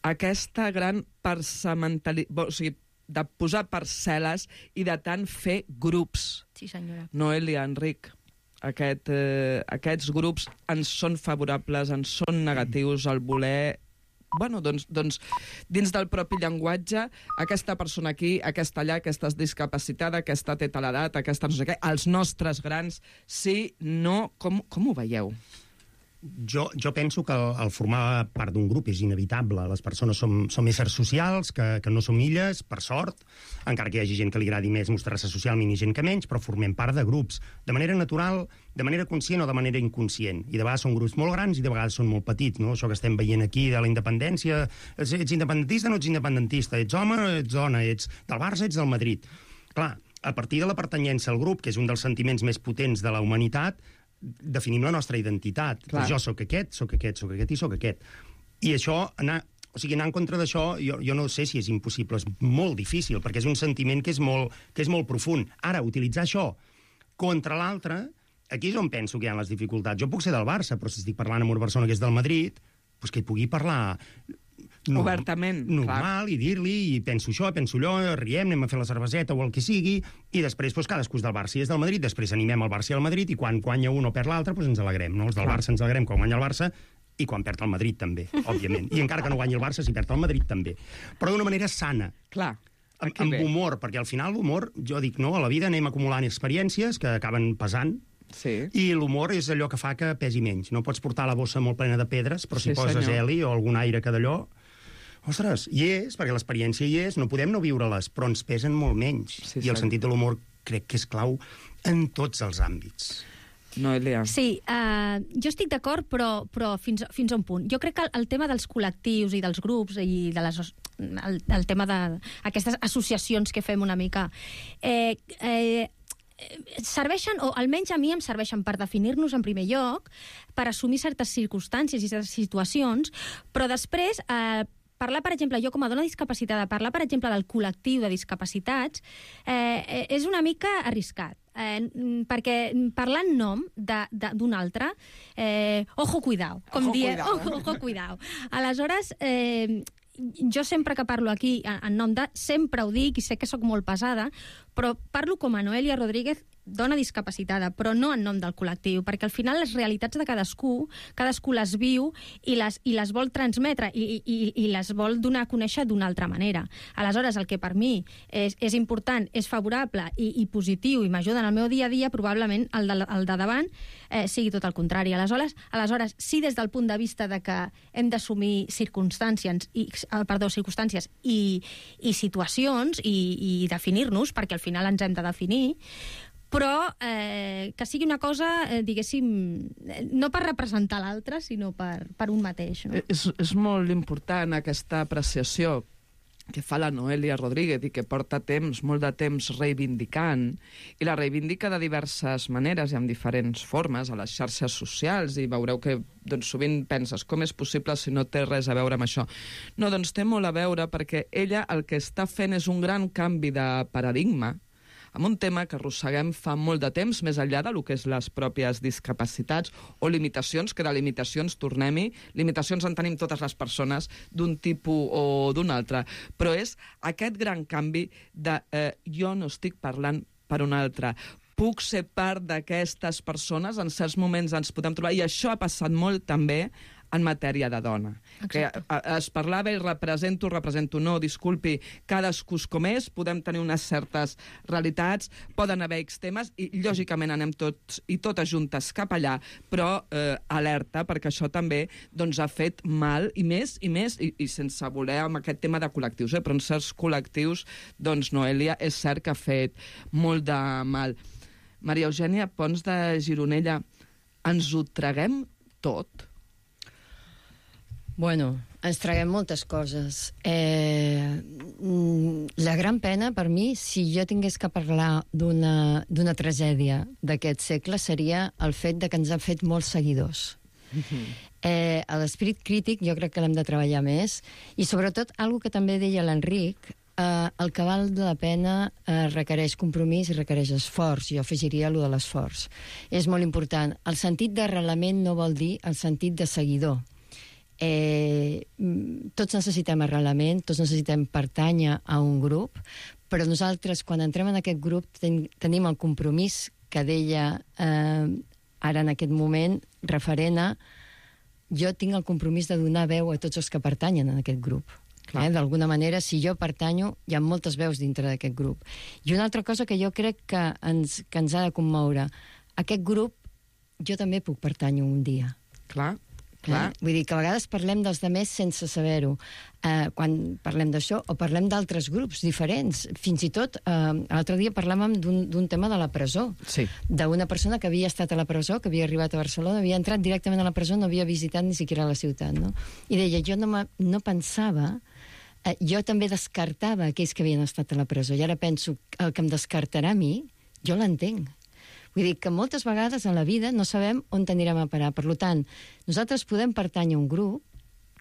aquesta gran parcimentalitat, o sigui, de posar parcel·les i de tant fer grups. Sí, senyora. Noelia, Enric, aquest, eh, aquests grups ens són favorables, ens són negatius, el voler... Bueno, doncs, doncs, dins del propi llenguatge, aquesta persona aquí, aquesta allà, aquesta és discapacitada, aquesta té tal edat, aquesta no sé què, els nostres grans, sí, no... Com, com ho veieu? Jo, jo penso que el, el formar part d'un grup és inevitable. Les persones som, som éssers socials, que, que no som illes, per sort, encara que hi hagi gent que li agradi més mostrar-se socialment i gent que menys, però formem part de grups, de manera natural, de manera conscient o de manera inconscient. I de vegades són grups molt grans i de vegades són molt petits, no? Això que estem veient aquí de la independència, ets, ets independentista o no ets independentista? Ets home o ets dona? Ets del Barça, ets del Madrid? Clar, a partir de la pertanyença al grup, que és un dels sentiments més potents de la humanitat, definim la nostra identitat. Clar. Jo sóc aquest, sóc aquest, sóc aquest i sóc aquest. I això, anar, o sigui, anar en contra d'això, jo, jo no sé si és impossible, és molt difícil, perquè és un sentiment que és molt, que és molt profund. Ara, utilitzar això contra l'altre, aquí és on penso que hi ha les dificultats. Jo puc ser del Barça, però si estic parlant amb una persona que és del Madrid, doncs que hi pugui parlar... No, obertament, normal, clar. I dir-li, i penso això, penso allò, riem, anem a fer la cerveseta o el que sigui, i després doncs, cadascú és del Barça i és del Madrid, després animem el Barça i el Madrid, i quan guanya un o perd l'altre, doncs ens alegrem, no? Els del clar. Barça ens alegrem quan guanya el Barça, i quan perd el Madrid també, òbviament. I encara que no guanyi el Barça, si perd el Madrid també. Però d'una manera sana. Clar. Amb, amb humor, perquè al final l'humor, jo dic, no, a la vida anem acumulant experiències que acaben pesant, sí. I l'humor és allò que fa que pesi menys. No pots portar la bossa molt plena de pedres, però si sí, poses senyor. heli o algun aire que d'allò... Ostres, hi és, perquè l'experiència hi és, no podem no viure-les, però ens pesen molt menys. Sí, I el sentit de l'humor crec que és clau en tots els àmbits. Noelia. Sí, uh, jo estic d'acord, però, però fins, fins a un punt. Jo crec que el, el tema dels col·lectius i dels grups i de les, el, el tema d'aquestes associacions que fem una mica... Eh, eh, serveixen, o almenys a mi em serveixen per definir-nos en primer lloc, per assumir certes circumstàncies i certes situacions, però després... Eh, parlar, per exemple, jo com a dona discapacitada, parlar, per exemple, del col·lectiu de discapacitats, eh, és una mica arriscat. Eh, perquè parlar en nom d'un altre, eh, ojo cuidao, com ojo diem, cuidao. ojo, ojo cuidao. Aleshores, eh, jo sempre que parlo aquí en nom de, sempre ho dic, i sé que sóc molt pesada, però parlo com a Noelia Rodríguez, dona discapacitada, però no en nom del col·lectiu, perquè al final les realitats de cadascú, cadascú les viu i les, i les vol transmetre i, i, i les vol donar a conèixer d'una altra manera. Aleshores, el que per mi és, és important, és favorable i, i positiu i m'ajuda en el meu dia a dia, probablement el de, el de davant eh, sigui tot el contrari. Aleshores, aleshores, sí, des del punt de vista de que hem d'assumir circumstàncies i, perdó, circumstàncies i, i situacions i, i definir-nos, perquè al final ens hem de definir, però eh, que sigui una cosa, eh, diguéssim, no per representar l'altre, sinó per, per un mateix. No? És, és molt important aquesta apreciació que fa la Noelia Rodríguez i que porta temps, molt de temps reivindicant, i la reivindica de diverses maneres i amb diferents formes a les xarxes socials, i veureu que doncs, sovint penses com és possible si no té res a veure amb això. No, doncs té molt a veure perquè ella el que està fent és un gran canvi de paradigma amb un tema que arrosseguem fa molt de temps, més enllà de lo que és les pròpies discapacitats o limitacions, que de limitacions, tornem-hi, limitacions en tenim totes les persones d'un tipus o d'un altre, però és aquest gran canvi de eh, jo no estic parlant per un altre, puc ser part d'aquestes persones, en certs moments ens podem trobar, i això ha passat molt també en matèria de dona. Exacte. Que es parlava i represento, represento no, disculpi, cadascú com és, podem tenir unes certes realitats, poden haver X temes, i lògicament anem tots i totes juntes cap allà, però eh, alerta, perquè això també doncs, ha fet mal, i més, i més, i, i sense voler amb aquest tema de col·lectius, eh, però en certs col·lectius, doncs, Noelia, és cert que ha fet molt de mal. Maria Eugènia Pons de Gironella, ens ho traguem tot? Bueno, ens traguem moltes coses. Eh, la gran pena, per mi, si jo tingués que parlar d'una d'una tragèdia d'aquest segle, seria el fet de que ens han fet molts seguidors. Mm-hmm. Eh, L'esperit crític jo crec que l'hem de treballar més, i sobretot, algo que també deia l'Enric, eh, el que val de la pena eh, requereix compromís i requereix esforç. Jo afegiria allò de l'esforç. És molt important. El sentit d'arrelament no vol dir el sentit de seguidor. Eh, tots necessitem arrelament, tots necessitem pertànyer a un grup, però nosaltres, quan entrem en aquest grup, ten, tenim el compromís que deia eh, ara en aquest moment, referent a jo tinc el compromís de donar veu a tots els que pertanyen a aquest grup. Eh? D'alguna manera, si jo pertanyo, hi ha moltes veus dintre d'aquest grup. I una altra cosa que jo crec que ens, que ens ha de commoure, aquest grup jo també puc pertànyer un dia. Clar. Clar. Eh? Vull dir que a vegades parlem dels demés sense saber-ho. Eh, quan parlem d'això, o parlem d'altres grups diferents. Fins i tot, eh, l'altre dia parlàvem d'un tema de la presó. Sí. D'una persona que havia estat a la presó, que havia arribat a Barcelona, havia entrat directament a la presó, no havia visitat ni siquiera la ciutat, no? I deia, jo no, no pensava... Eh, jo també descartava aquells que havien estat a la presó. I ara penso, el que em descartarà a mi, jo l'entenc. Vull dir que moltes vegades en la vida no sabem on anirem a parar. Per tant, nosaltres podem pertànyer a un grup,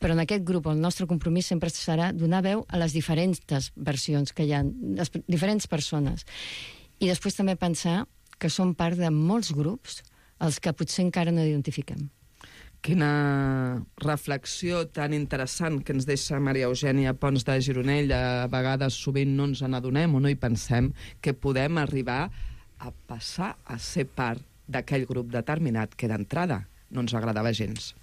però en aquest grup el nostre compromís sempre serà donar veu a les diferents versions que hi ha, les diferents persones. I després també pensar que som part de molts grups els que potser encara no identifiquem. Quina reflexió tan interessant que ens deixa Maria Eugènia Pons de Gironell. A vegades sovint no ens n'adonem o no hi pensem que podem arribar a passar a ser part d'aquell grup determinat que d'entrada no ens agradava gens.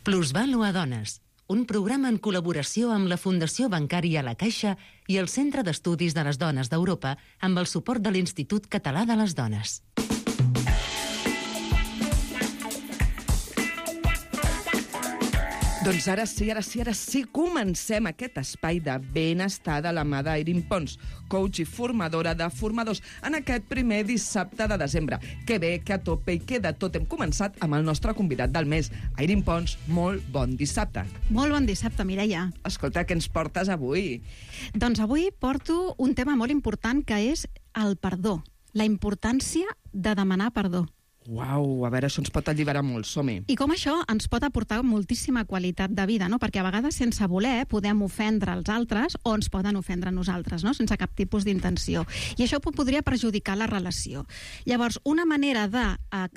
Plusvàlua Dones, un programa en col·laboració amb la Fundació Bancària La Caixa i el Centre d'Estudis de les Dones d'Europa amb el suport de l'Institut Català de les Dones. Doncs ara sí, ara sí, ara sí, comencem aquest espai de benestar de la mà d'Airin Pons, coach i formadora de formadors, en aquest primer dissabte de desembre. Que bé, que a tope i que de tot hem començat amb el nostre convidat del mes. Airin Pons, molt bon dissabte. Molt bon dissabte, Mireia. Escolta, què ens portes avui? Doncs avui porto un tema molt important que és el perdó, la importància de demanar perdó. Uau, a veure, això ens pot alliberar molt, som-hi. I com això ens pot aportar moltíssima qualitat de vida, no? Perquè a vegades sense voler podem ofendre els altres o ens poden ofendre a nosaltres, no? Sense cap tipus d'intenció. I això podria perjudicar la relació. Llavors, una manera de,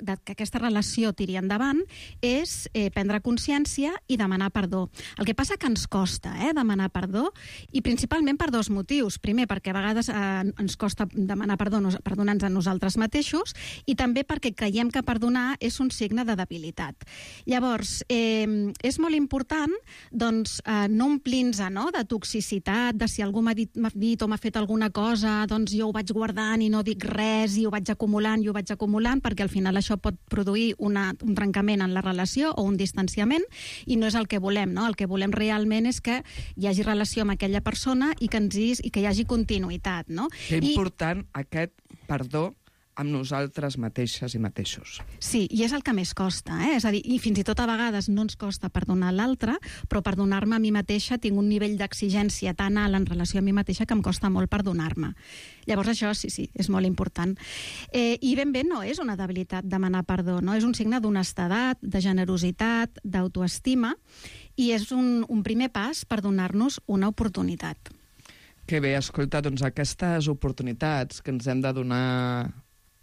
de que aquesta relació tiri endavant és eh, prendre consciència i demanar perdó. El que passa que ens costa eh, demanar perdó, i principalment per dos motius. Primer, perquè a vegades eh, ens costa demanar perdó, perdonar-nos a nosaltres mateixos, i també perquè creiem que perdonar és un signe de debilitat. Llavors, eh, és molt important doncs, eh, no omplir-nos no, de toxicitat, de si algú m'ha dit, m'ha dit o m'ha fet alguna cosa, doncs jo ho vaig guardant i no dic res, i ho vaig acumulant i ho vaig acumulant, perquè al final això pot produir una, un trencament en la relació o un distanciament, i no és el que volem. No? El que volem realment és que hi hagi relació amb aquella persona i que, ens hi, i que hi hagi continuïtat. No? Que I... important aquest perdó amb nosaltres mateixes i mateixos. Sí, i és el que més costa, eh? És a dir, i fins i tot a vegades no ens costa perdonar l'altre, però perdonar-me a mi mateixa tinc un nivell d'exigència tan alt en relació a mi mateixa que em costa molt perdonar-me. Llavors això sí, sí, és molt important. Eh, I ben bé no és una debilitat demanar perdó, no? És un signe d'honestedat, de generositat, d'autoestima, i és un, un primer pas per donar-nos una oportunitat. Que bé, escolta, doncs aquestes oportunitats que ens hem de donar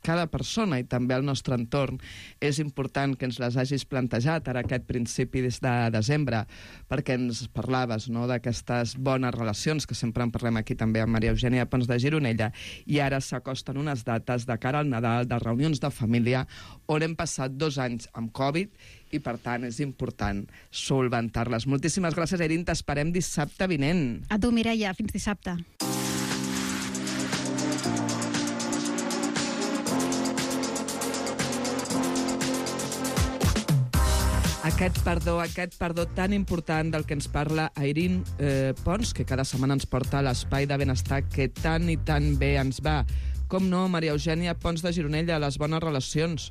cada persona i també al nostre entorn, és important que ens les hagis plantejat ara aquest principi des de desembre, perquè ens parlaves no, d'aquestes bones relacions, que sempre en parlem aquí també amb Maria Eugènia Pons de Gironella, i ara s'acosten unes dates de cara al Nadal, de reunions de família, on hem passat dos anys amb Covid, i per tant és important solventar-les. Moltíssimes gràcies, Airin, t'esperem dissabte vinent. A tu, Mireia, fins dissabte. Aquest perdó, aquest perdó tan important del que ens parla Airin eh, Pons, que cada setmana ens porta a l'espai de benestar que tant i tan bé ens va. Com no, Maria Eugènia Pons de Gironella, les bones relacions.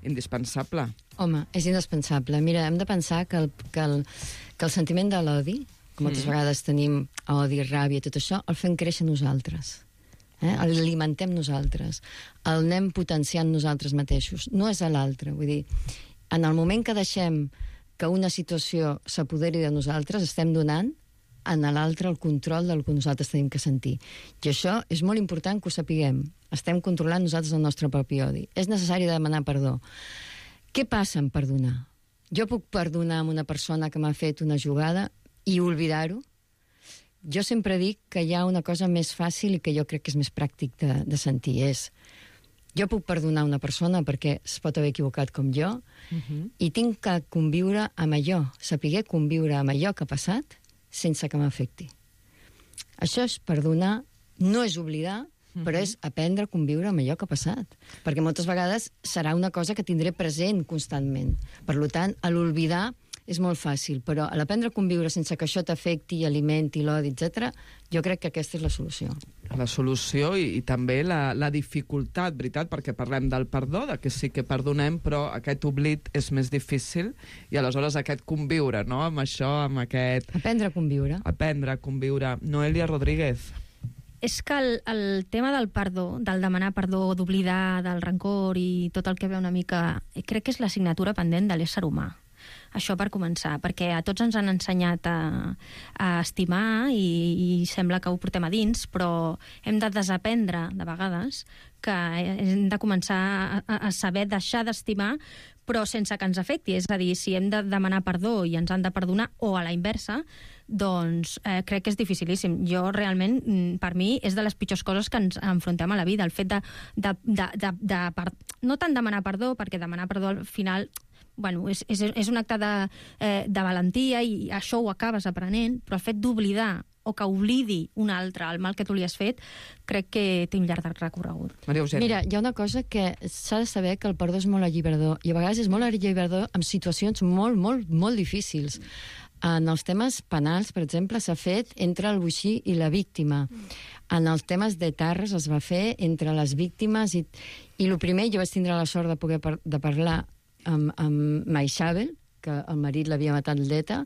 indispensable. Home, és indispensable. Mira, hem de pensar que el, que el, que el sentiment de l'odi, que moltes mm. vegades tenim odi, ràbia, tot això, el fem créixer nosaltres. Eh? L'alimentem nosaltres. El anem potenciant nosaltres mateixos. No és a l'altre. Vull dir, en el moment que deixem que una situació s'apoderi de nosaltres, estem donant en l'altre el control del que nosaltres tenim que sentir. I això és molt important que ho sapiguem. Estem controlant nosaltres el nostre propi odi. És necessari demanar perdó. Què passa en perdonar? Jo puc perdonar a una persona que m'ha fet una jugada i oblidar-ho? Jo sempre dic que hi ha una cosa més fàcil i que jo crec que és més pràctic de, de sentir. És, jo puc perdonar una persona perquè es pot haver equivocat com jo uh-huh. i tinc que conviure amb allò, saber conviure amb allò que ha passat sense que m'afecti. Això és perdonar, no és oblidar, uh-huh. però és aprendre a conviure amb allò que ha passat. Perquè moltes vegades serà una cosa que tindré present constantment. Per tant, a l'oblidar és molt fàcil, però a l'aprendre a conviure sense que això t'afecti, alimenti, l'odi, etcètera, jo crec que aquesta és la solució. La solució i, i també la, la dificultat, veritat, perquè parlem del perdó, de que sí que perdonem, però aquest oblit és més difícil i aleshores aquest conviure, no?, amb això, amb aquest... Aprendre a conviure. Aprendre a conviure. Noelia Rodríguez. És que el, el tema del perdó, del demanar perdó, d'oblidar, del rancor i tot el que ve una mica... Crec que és l'assignatura pendent de l'ésser humà. Això per començar, perquè a tots ens han ensenyat a, a estimar i, i sembla que ho portem a dins, però hem de desaprendre, de vegades, que hem de començar a, a saber deixar d'estimar, però sense que ens afecti. És a dir, si hem de demanar perdó i ens han de perdonar, o a la inversa, doncs eh, crec que és dificilíssim. Jo realment, per mi, és de les pitjors coses que ens enfrontem a la vida. El fet de, de, de, de, de, de no tant demanar perdó, perquè demanar perdó al final... Bueno, és, és, és un acte de, eh, de valentia i això ho acabes aprenent, però el fet d'oblidar o que oblidi un altre el mal que tu li has fet, crec que té un llarg recorregut. Maria Eugènia. Mira, hi ha una cosa que s'ha de saber, que el perdó és molt alliberador, i a vegades és molt alliberador en situacions molt, molt, molt difícils. En els temes penals, per exemple, s'ha fet entre el boixí i la víctima. En els temes de Tarres es va fer entre les víctimes i, i el primer, jo vaig tindre la sort de poder par de parlar amb, amb Maixabel, que el marit l'havia matat l'E T A.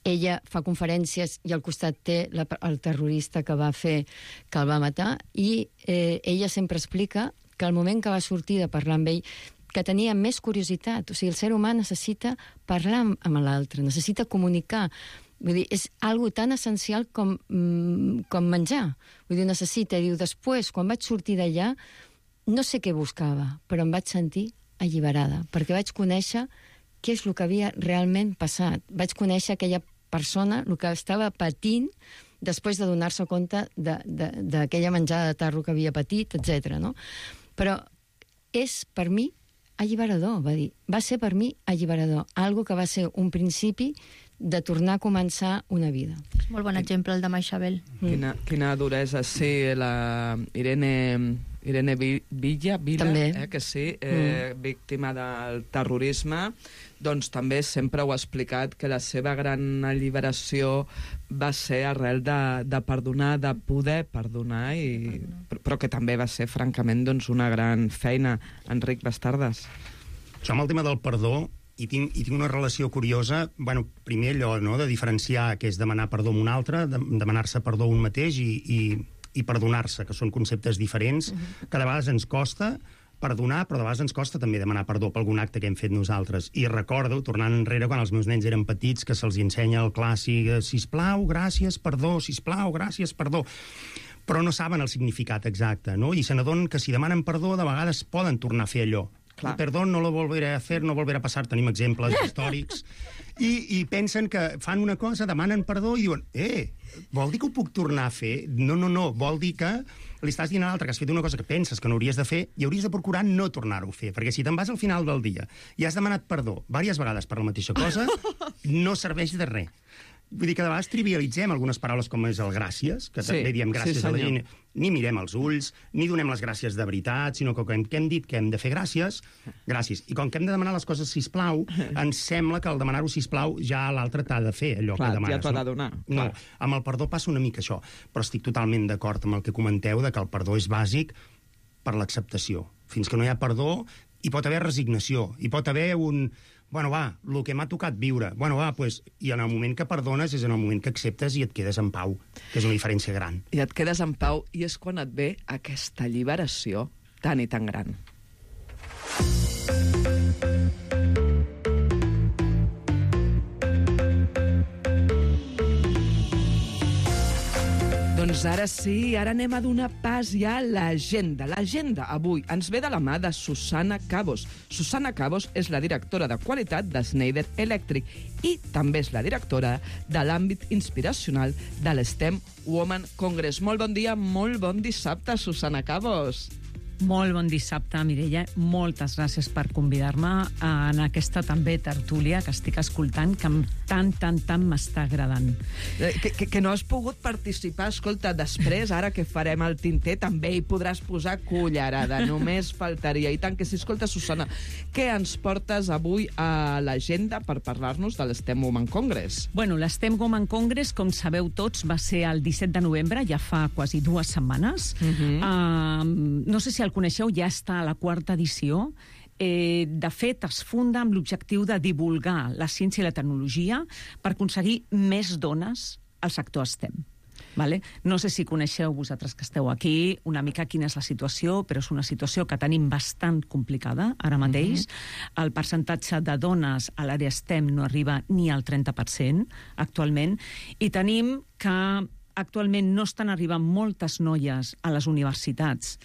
Ella fa conferències i al costat té la, el terrorista que va fer, que el va matar, i eh, ella sempre explica que al moment que va sortir de parlar amb ell, que tenia més curiositat. O sigui, el ser humà necessita parlar amb, amb l'altre, necessita comunicar. Vull dir, és algo tan essencial com, mm, com menjar. Vull dir, necessita. Diu, després, quan vaig sortir d'allà, no sé què buscava, però em vaig sentir alliberada, perquè vaig conèixer què és el que havia realment passat. Vaig conèixer aquella persona, el que estava patint després de donar-se compte d'aquella menjada de tarro que havia patit, etcètera. No? Però és, per mi, alliberador, va dir. Va ser per mi alliberador. Algo que va ser un principi de tornar a començar una vida. És molt bon exemple, el de Maixabel. Quina, quina duresa, sí, la Irene... Irene Villa, Vila, eh, que sí, eh, mm. víctima del terrorisme, doncs també sempre ho ha explicat, que la seva gran alliberació va ser arrel de, de perdonar, de poder perdonar, i, però que també va ser, francament, doncs, una gran feina. Enric Bastardes. Jo amb el tema del perdó i tinc, i tinc una relació curiosa, bueno, primer allò, no?, de diferenciar què és demanar perdó a un altre, de, demanar-se perdó a un mateix i... i i perdonar-se, que són conceptes diferents, uh-huh. que de vegades ens costa perdonar, però de vegades ens costa també demanar perdó per algun acte que hem fet nosaltres. I recordo, tornant enrere, quan els meus nens eren petits, que se'ls ensenya el clàssic sisplau, gràcies, perdó, sisplau, gràcies, perdó, però no saben el significat exacte, no? I se n'adonen que si demanen perdó, de vegades poden tornar a fer allò. Clar. Perdó, no lo volveré a hacer, no volveré a passar. Tenim exemples històrics. I, I pensen que fan una cosa, demanen perdó i diuen, eh, vol dir que ho puc tornar a fer? No, no, no, vol dir que li estàs dient a l'altre que has fet una cosa que penses que no hauries de fer i hauries de procurar no tornar-ho a fer, perquè si te'n vas al final del dia i has demanat perdó diverses vegades per la mateixa cosa, no serveix de res. Vull dir que de vegades trivialitzem algunes paraules com és el gràcies, que sí, també diem gràcies sí, a la gent, ni mirem els ulls, ni donem les gràcies de veritat, sinó que hem, que hem dit que hem de fer gràcies, gràcies. I com que hem de demanar les coses sisplau, ens sembla que al demanar-ho sisplau ja l'altre t'ha de fer allò clar, que demanes. Ja t'ho ha de donar. No, amb el perdó passa una mica això, però estic totalment d'acord amb el que comenteu de que el perdó és bàsic per l'acceptació. Fins que no hi ha perdó, hi pot haver resignació, hi pot haver un... Bueno, va, el que m'ha tocat viure. Bueno, va, pues, i en el moment que perdones és en el moment que acceptes i et quedes en pau, que és una diferència gran. I et quedes en pau i és quan et ve aquesta alliberació tan i tan gran. Doncs ara sí, ara anem a donar pas ja a l'agenda. L'agenda avui ens ve de la mà de Susana Cabos. Susana Cabos és la directora de qualitat de Schneider Electric i també és la directora de l'àmbit inspiracional de l'STEM Women Congress. Molt bon dia, molt bon dissabte, Susana Cabos. Molt bon dissabte, Mireia. Moltes gràcies per convidar-me en aquesta també tertúlia que estic escoltant, que tant, tant, tant m'està agradant. Eh, que, que, que no has pogut participar, escolta, després, ara que farem el tinter, també hi podràs posar cullerada, només faltaria. I tant que sí. Escolta, Susana, què ens portes avui a l'agenda per parlar-nos de l'STEM Women Congress? Bueno, l'STEM Women Congress, com sabeu tots, va ser el disset de novembre, ja fa quasi dues setmanes. Uh-huh. uh, no sé si el coneixeu, ja està a la quarta edició. Eh, de fet, es funda amb l'objectiu de divulgar la ciència i la tecnologia per aconseguir més dones al sector STEM. Vale? No sé si coneixeu vosaltres que esteu aquí una mica quina és la situació, però és una situació que tenim bastant complicada ara mateix. Mm-hmm. El percentatge de dones a l'àrea STEM no arriba ni al trenta per cent actualment, i tenim que actualment no estan arribant moltes noies a les universitats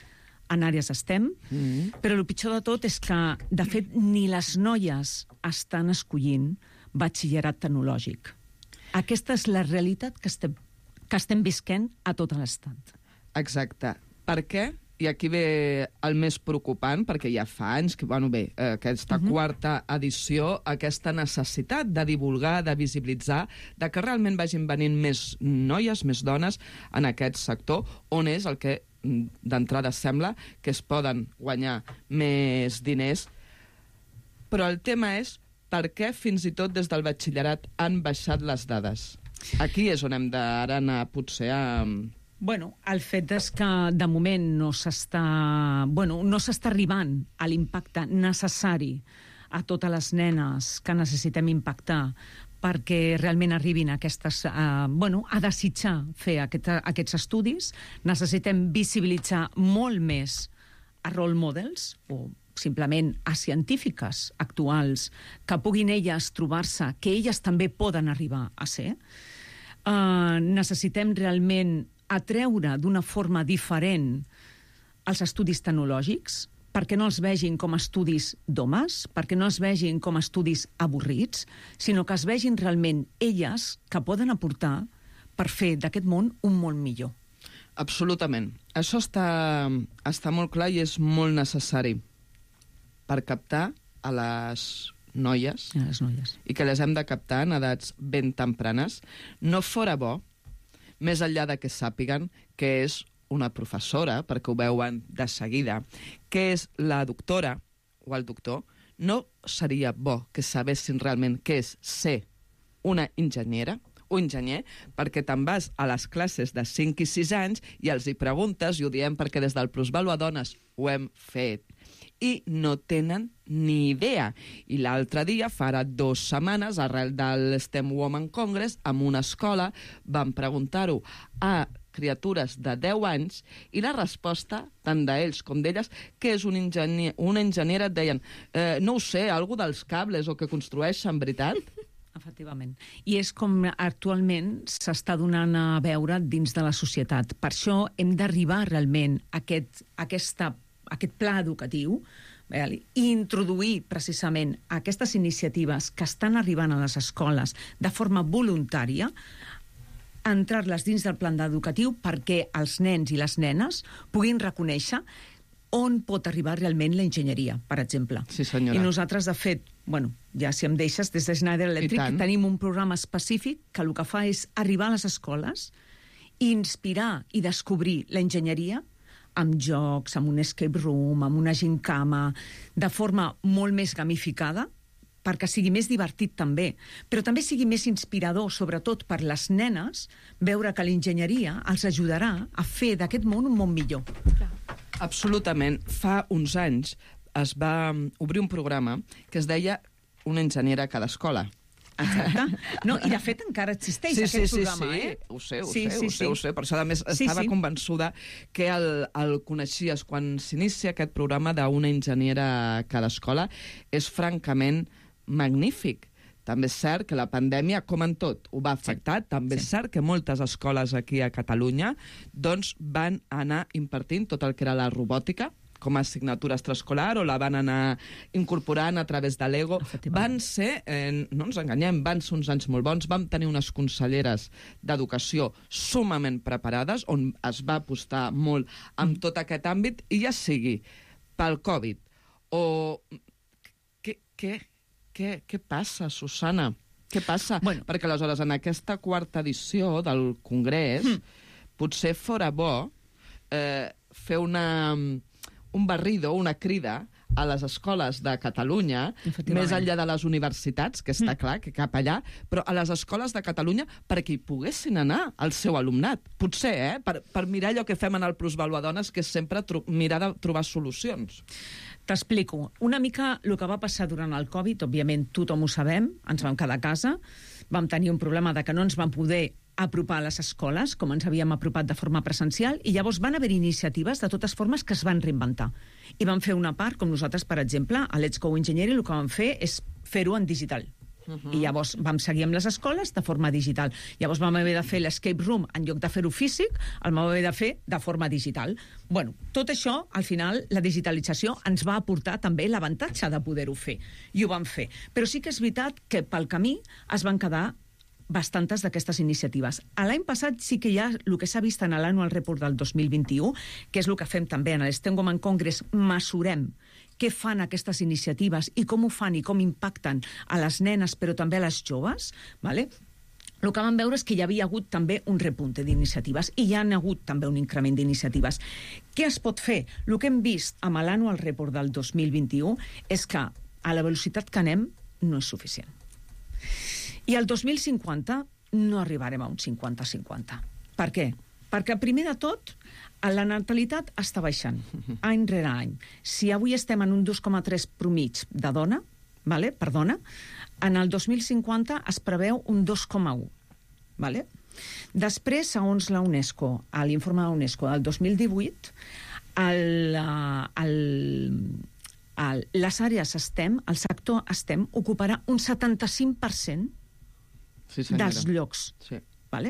en àrees STEM, mm. però el pitjor de tot és que, de fet, ni les noies estan escollint batxillerat tecnològic. Aquesta és la realitat que estem, que estem visquent a tot l'estat. Exacte. Per què? I aquí ve el més preocupant, perquè ja fa anys que, bueno, bé, aquesta uh-huh. quarta edició, aquesta necessitat de divulgar, de visibilitzar, de que realment vagin venint més noies, més dones en aquest sector, on és el que d'entrada sembla que es poden guanyar més diners. Però el tema és per què fins i tot des del batxillerat han baixat les dades. Aquí és on hem d'ara anar potser a... Bueno, el fet és que de moment no s'està bueno, no s'està arribant a l'impacte necessari a totes les nenes que necessitem impactar perquè realment arribin a, aquestes, uh, bueno, a desitjar fer aquest, aquests estudis. Necessitem visibilitzar molt més a role models o simplement a científiques actuals que puguin elles trobar-se, que elles també poden arribar a ser. Uh, necessitem realment atreure d'una forma diferent els estudis tecnològics, perquè no els vegin com estudis d'homes, perquè no es vegin com estudis avorrits, sinó que es vegin realment elles que poden aportar per fer d'aquest món un món millor. Absolutament. Això està, està molt clar i és molt necessari per captar a les noies, a les noies. I que les hem de captar en edats ben tempranes. No fora bo, més enllà de que sàpiguen que és una professora, perquè ho veuen de seguida, que és la doctora o el doctor, no seria bo que sabessin realment què és ser una enginyera o enginyer, perquè te'n vas a les classes de cinc i sis anys i els hi preguntes, i ho diem perquè des del Plusvalua Dones ho hem fet, i no tenen ni idea. I l'altre dia, farà dues setmanes, arrel del STEM Women Congress, en una escola van preguntar-ho a criatures de deu anys, i la resposta, tant d'ells com d'elles, que és un enginyer, una enginyera, et deien, eh, no ho sé, algú dels cables o que construeixen, veritat? Efectivament. I és com actualment s'està donant a veure dins de la societat. Per això hem d'arribar realment a aquest, aquesta, aquest pla educatiu i introduir precisament aquestes iniciatives que estan arribant a les escoles de forma voluntària, entrar-les dins del plan educatiu perquè els nens i les nenes puguin reconèixer on pot arribar realment la enginyeria, per exemple. Sí, senyora. I nosaltres, de fet, bueno, ja si em deixes, des de Schneider Electric tenim un programa específic que el que fa és arribar a les escoles i inspirar i descobrir la enginyeria amb jocs, amb un escape room, amb una gincama, de forma molt més gamificada, perquè sigui més divertit també, però també sigui més inspirador, sobretot per les nenes, veure que l'enginyeria els ajudarà a fer d'aquest món un món millor. Absolutament. Fa uns anys es va obrir un programa que es deia Una enginyera a cada escola. Exacte. No, i de fet encara existeix sí, aquest sí, programa, sí, sí. eh? Ho sé, ho sí, sé, sí, ho sé, sí. ho sé. Per això, a més, sí, estava sí. convençuda que el, el coneixies. Quan s'inicia aquest programa d'Una enginyera a cada escola, és francament magnífic. També és cert que la pandèmia, com en tot, ho va afectar. Sí. També sí. és cert que moltes escoles aquí a Catalunya doncs, van anar impartint tot el que era la robòtica, com a assignatura extraescolar, o la van anar incorporant a través de l'Ego. Van ser, eh, no ens enganyem, van ser uns anys molt bons. Vam tenir unes conselleres d'educació sumament preparades, on es va apostar molt en tot aquest àmbit, i ja sigui pel Covid o... Què, què, què, què passa, Susana? Què passa? Bueno. Perquè aleshores, en aquesta quarta edició del Congrés, mm. potser fora bo eh, fer una... un barrido, una crida a les escoles de Catalunya, més enllà de les universitats, que està mm. clar que cap allà, però a les escoles de Catalunya perquè hi poguessin anar el seu alumnat. Potser, eh? Per, per mirar allò que fem en el Plusvaluadones, que és sempre mirar de trobar solucions. T'explico. Una mica el que va passar durant el Covid, òbviament tothom ho sabem, ens vam quedar a casa, vam tenir un problema de que no ens vam poder apropar a les escoles, com ens havíem apropat de forma presencial, i llavors van haver iniciatives de totes formes que es van reinventar. I van fer una part, com nosaltres, per exemple, a Let's Go Engineering, el que vam fer és fer-ho en digital. Uh-huh. I llavors vam seguir amb les escoles de forma digital. Llavors vam haver de fer l'escape room, en lloc de fer-ho físic, el vam haver de fer de forma digital. Bueno, tot això, al final, la digitalització ens va aportar també l'avantatge de poder-ho fer. I ho vam fer. Però sí que és veritat que pel camí es van quedar bastantes d'aquestes iniciatives. A l'any passat sí que hi ha el que s'ha vist en l'Annual Report del dos mil vint-i-u, que és el que fem també en l'Stengoman Congress, mesurem què fan aquestes iniciatives i com ho fan i com impacten a les nenes, però també a les joves, ¿vale? El que vam veure és que hi havia hagut també un repunte d'iniciatives i hi ha hagut també un increment d'iniciatives. Què es pot fer? El que hem vist amb l'Annual Report del dos mil vint-i-u és que a la velocitat que anem no és suficient. I al dos mil cinquanta no arribarem a un cinquanta cinquanta. Per què? Perquè, primer de tot, la natalitat està baixant, any rere any. Si avui estem en un dos coma tres promig de dona, vale? per dona, en el dos mil cinquanta es preveu un dos coma u. Vale? Després, segons la UNESCO, a l'informe de la UNESCO del dos mil divuit, el, el, el, les àrees STEM, el sector STEM, ocuparà un setanta-cinc per cent sí, dels llocs. Sí. Vale?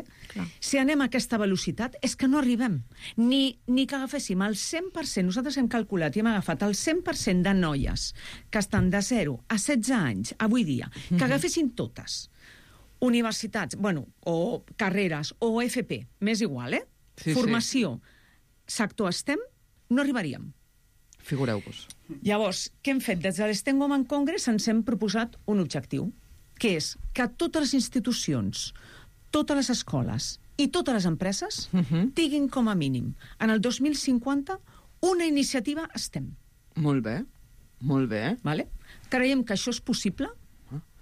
Si anem a aquesta velocitat, és que no arribem. Ni, ni que agaféssim el cent per cent, nosaltres hem calculat i hem agafat el cent per cent de noies que estan de zero a setze anys, avui dia, que agafessin totes, universitats, bueno, o carreres, o F P, m'és igual, eh? Sí, formació, sí. sector STEM, no arribaríem. Figureu-vos. Llavors, què hem fet? Des de l'Stengoman Congress ens hem proposat un objectiu, que és que totes les institucions, totes les escoles i totes les empreses uh-huh. tinguin com a mínim en el dos mil cinquanta una iniciativa STEM. Molt bé, molt bé. Vale? Creiem que això és possible.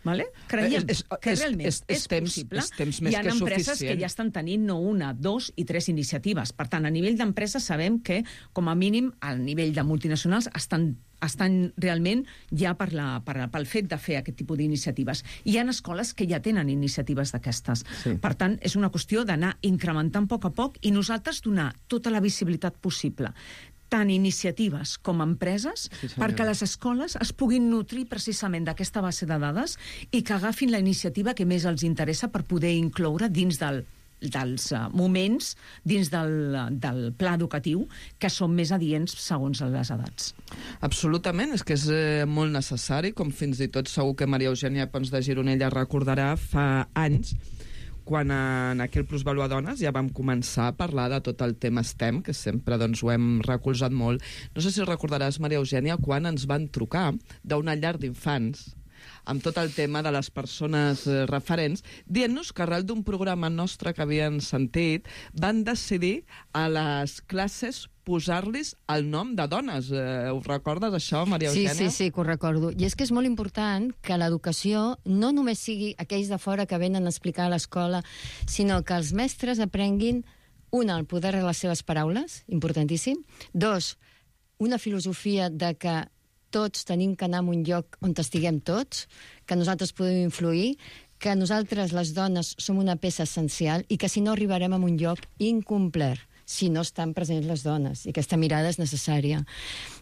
Vale? Creiem és, és, que realment és, és, és temps, possible. És temps més Hi ha que empreses suficient. que ja estan tenint no una, dos i tres iniciatives. Per tant, a nivell d'empreses sabem que, com a mínim, al nivell de multinacionals estan, estan realment ja per la, per, pel fet de fer aquest tipus d'iniciatives. Hi ha escoles que ja tenen iniciatives d'aquestes. Sí. Per tant, és una qüestió d'anar incrementant a poc a poc i nosaltres donar tota la visibilitat possible, tant iniciatives com empreses, sí, perquè les escoles es puguin nutrir precisament d'aquesta base de dades i que agafin la iniciativa que més els interessa per poder incloure dins del, dels uh, moments, dins del, del pla educatiu, que són més adients segons les edats. Absolutament, és que és eh, molt necessari, com fins i tot segur que Maria Eugènia Pons de Gironella recordarà fa anys, quan en aquell Plusvaluadones ja vam començar a parlar de tot el tema STEM, que sempre doncs, ho hem recolzat molt. No sé si recordaràs, Maria Eugènia, quan ens van trucar d'una llar d'infants amb tot el tema de les persones eh, referents, dient-nos que arrel d'un programa nostre que havien sentit, van decidir a les classes posar-los el nom de dones. Eh, ho recordes, això, Maria Eugènia? Sí, sí, sí, que ho recordo. I és que és molt important que l'educació no només sigui aquells de fora que venen a explicar a l'escola, sinó que els mestres aprenguin, una, el poder de les seves paraules, importantíssim, dos, una filosofia de que tots tenim que anar a un lloc on estiguem tots, que nosaltres podem influir, que nosaltres, les dones, som una peça essencial i que si no arribarem a un lloc incomplert, si no estan presents les dones, i aquesta mirada és necessària.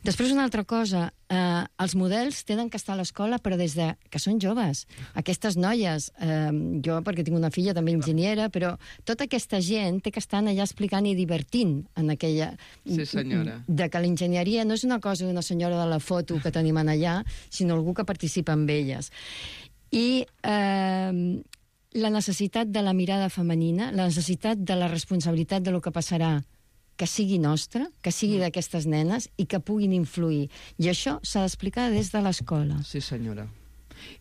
Després, una altra cosa, eh, els models tenen que estar a l'escola, però des de que són joves. Aquestes noies, eh, jo perquè tinc una filla també enginyera, però tota aquesta gent té que estar allà explicant i divertint en aquella... Sí, senyora. De que l'enginyeria no és una cosa d'una senyora de la foto que tenim allà, sinó algú que participa amb elles. I... Eh, la necessitat de la mirada femenina, la necessitat de la responsabilitat de lo que passarà, que sigui nostra, que sigui d'aquestes nenes i que puguin influir. I això s'ha d'explicar des de l'escola. Sí, senyora.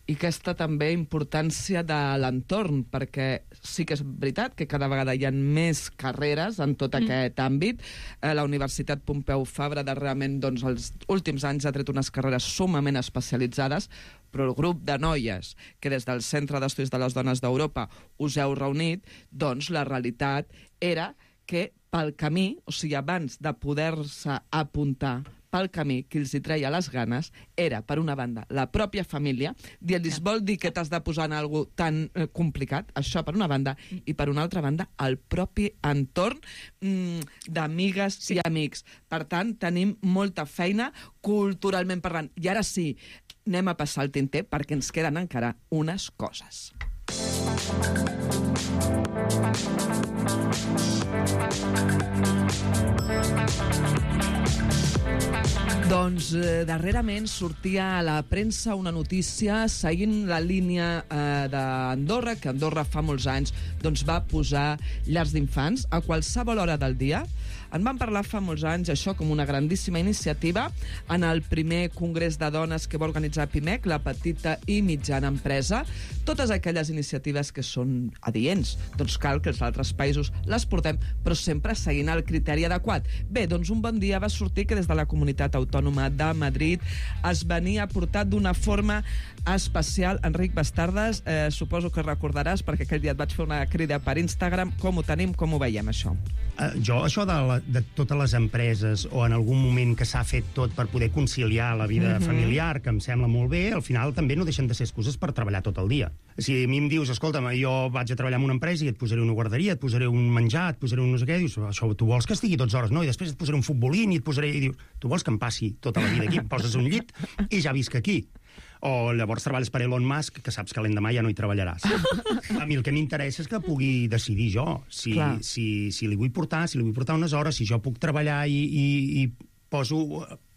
I aquesta també importància de l'entorn, perquè sí que és veritat que cada vegada hi ha més carreres en tot mm. aquest àmbit. Eh, la Universitat Pompeu Fabra darrerament, doncs, els últims anys ha tret unes carreres sumament especialitzades, però el grup de noies que des del Centre d'Estudis de les Dones d'Europa us heu reunit, doncs la realitat era que pel camí, o sigui, abans de poder-se apuntar pel camí que els hi treia les ganes, era, per una banda, la pròpia família, dient-los, vol dir que t'has de posar en alguna cosa tan eh, complicat, això per una banda, i per una altra banda, el propi entorn mm, d'amigues sí. i amics. Per tant, tenim molta feina culturalment parlant. I ara sí, anem a passar el tinter perquè ens queden encara unes coses. Doncs eh, darrerament sortia a la premsa una notícia seguint la línia eh, d'Andorra, que Andorra fa molts anys doncs, va posar llars d'infants a qualsevol hora del dia. En van parlar fa molts anys, això, com una grandíssima iniciativa, en el primer congrés de dones que va organitzar PIMEC, la petita i mitjana empresa. Totes aquelles iniciatives que són adients, doncs cal que els altres països les portem, però sempre seguint el criteri adequat. Bé, doncs un bon dia va sortir que des de la Comunitat Autònoma de Madrid es venia portat d'una forma especial. Enric Bastardes, eh, suposo que recordaràs, perquè aquell dia et vaig fer una crida per Instagram. Com ho tenim, com ho veiem, això? Uh, jo, això de, la, de totes les empreses, o en algun moment que s'ha fet tot per poder conciliar la vida mm-hmm. familiar, que em sembla molt bé, al final també no deixen de ser excuses per treballar tot el dia. Si a mi em dius, escolta'm, jo vaig a treballar en una empresa i et posaré una guarderia, et posaré un menjar, et posaré un no sé què, dius, això tu vols que estigui dotze hores, no? I després et posaré un futbolín i et posaré... I dius, tu vols que em passi tota la vida aquí? Em poses un llit i ja visc aquí. O llavors treballes per Elon Musk, que saps que l'endemà ja no hi treballaràs. A mi el que m'interessa és que pugui decidir jo si, si, si li vull portar, si li vull portar unes hores, si jo puc treballar i, i, i poso,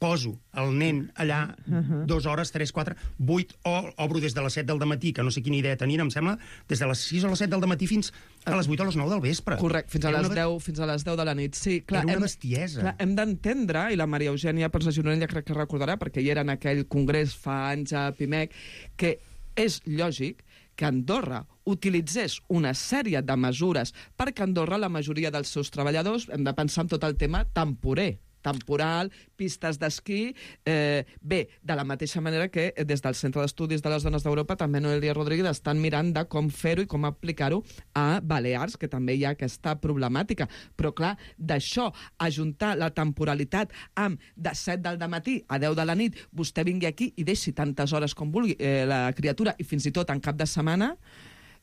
poso el nen allà uh-huh. dues hores, tres, quatre, vuit, o obro des de les set del matí, que no sé quina idea tenien, em sembla, des de les sis o les set del matí fins a les vuit o les nou del vespre. Correcte, fins a les deu, fins a les deu de la nit. Sí, clar, era una hem, bestiesa. Clar, hem d'entendre, i la Maria Eugènia Pons de Gironella crec que recordarà, perquè hi era en aquell congrés fa anys a PIMEC, que és lògic que Andorra utilitzés una sèrie de mesures perquè Andorra, la majoria dels seus treballadors, hem de pensar en tot el tema temporer, temporal, pistes d'esquí... Eh, bé, de la mateixa manera que des del Centre d'Estudis de les Dones d'Europa també Noelia Rodríguez estan mirant de com fer-ho i com aplicar-ho a Balears, que també hi ha aquesta problemàtica. Però, clar, d'això, ajuntar la temporalitat amb de set del matí a deu de la nit, vostè vingui aquí i deixi tantes hores com vulgui eh, la criatura, i fins i tot en cap de setmana...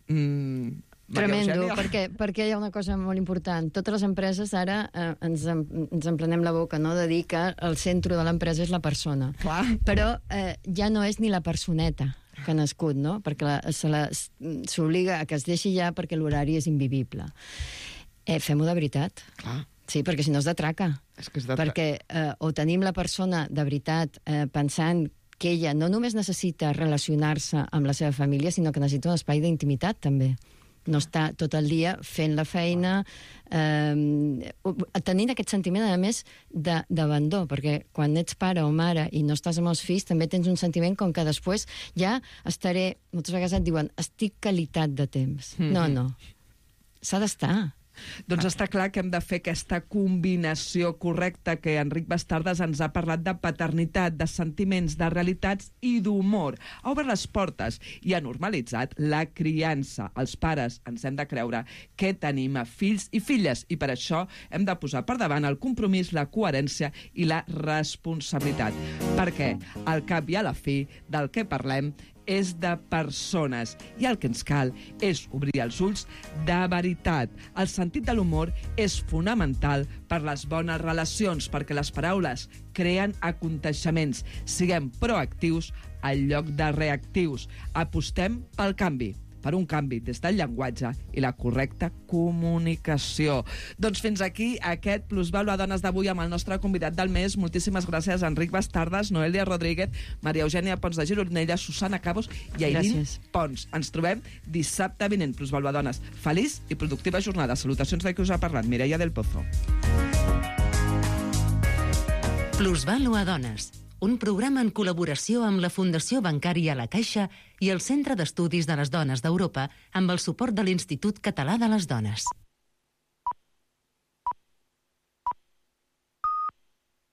Mmm, Tremendo, perquè, perquè hi ha una cosa molt important. Totes les empreses ara eh, ens, ens emplenem la boca, no?, de dir que el centre de l'empresa és la persona. Clar. Però eh, ja no és ni la personeta que ha nascut, no?, perquè s'obliga a que es deixi ja perquè l'horari és invivible. Eh, Fem-ho de veritat. Clar. Sí, perquè si no és de traca. És que és de traca. Perquè eh, o tenim la persona de veritat eh, pensant que ella no només necessita relacionar-se amb la seva família, sinó que necessita un espai d'intimitat, també. No està tot el dia fent la feina, eh, tenint aquest sentiment, a més, d'abandó, perquè quan ets pare o mare i no estàs amb els fills, també tens un sentiment com que després ja estaré... Moltes vegades et diuen, estic qualitat de temps. Mm-hmm. No, no. S'ha d'estar. Doncs està clar que hem de fer aquesta combinació correcta que Enric Bastardas ens ha parlat de paternitat, de sentiments, de realitats i d'humor. Ha obert les portes i ha normalitzat la criança. Els pares ens hem de creure que tenim a fills i filles i per això hem de posar per davant el compromís, la coherència i la responsabilitat. Perquè al cap i a la fi del que parlem és de persones i el que ens cal és obrir els ulls de veritat. El sentit de l'humor és fonamental per les bones relacions, perquè les paraules creen aconteixements. Siguem proactius en lloc de reactius. Apostem pel canvi, per un canvi des del llenguatge i la correcta comunicació. Doncs fins aquí aquest Plusvàlua Dones d'avui amb el nostre convidat del mes. Moltíssimes gràcies a Enric Bastardas, Noelia Rodríguez, Maria Eugènia Pons de Gironella, Susana Cabos i Aileen Pons. Ens trobem dissabte vinent, Plusvàlua Dones. Feliç i productiva jornada. Salutacions de qui us ha parlat, Mireia del Pozo. Plusvàlua Dones, un programa en col·laboració amb la Fundació Bancària La Caixa i el Centre d'Estudis de les Dones d'Europa amb el suport de l'Institut Català de les Dones.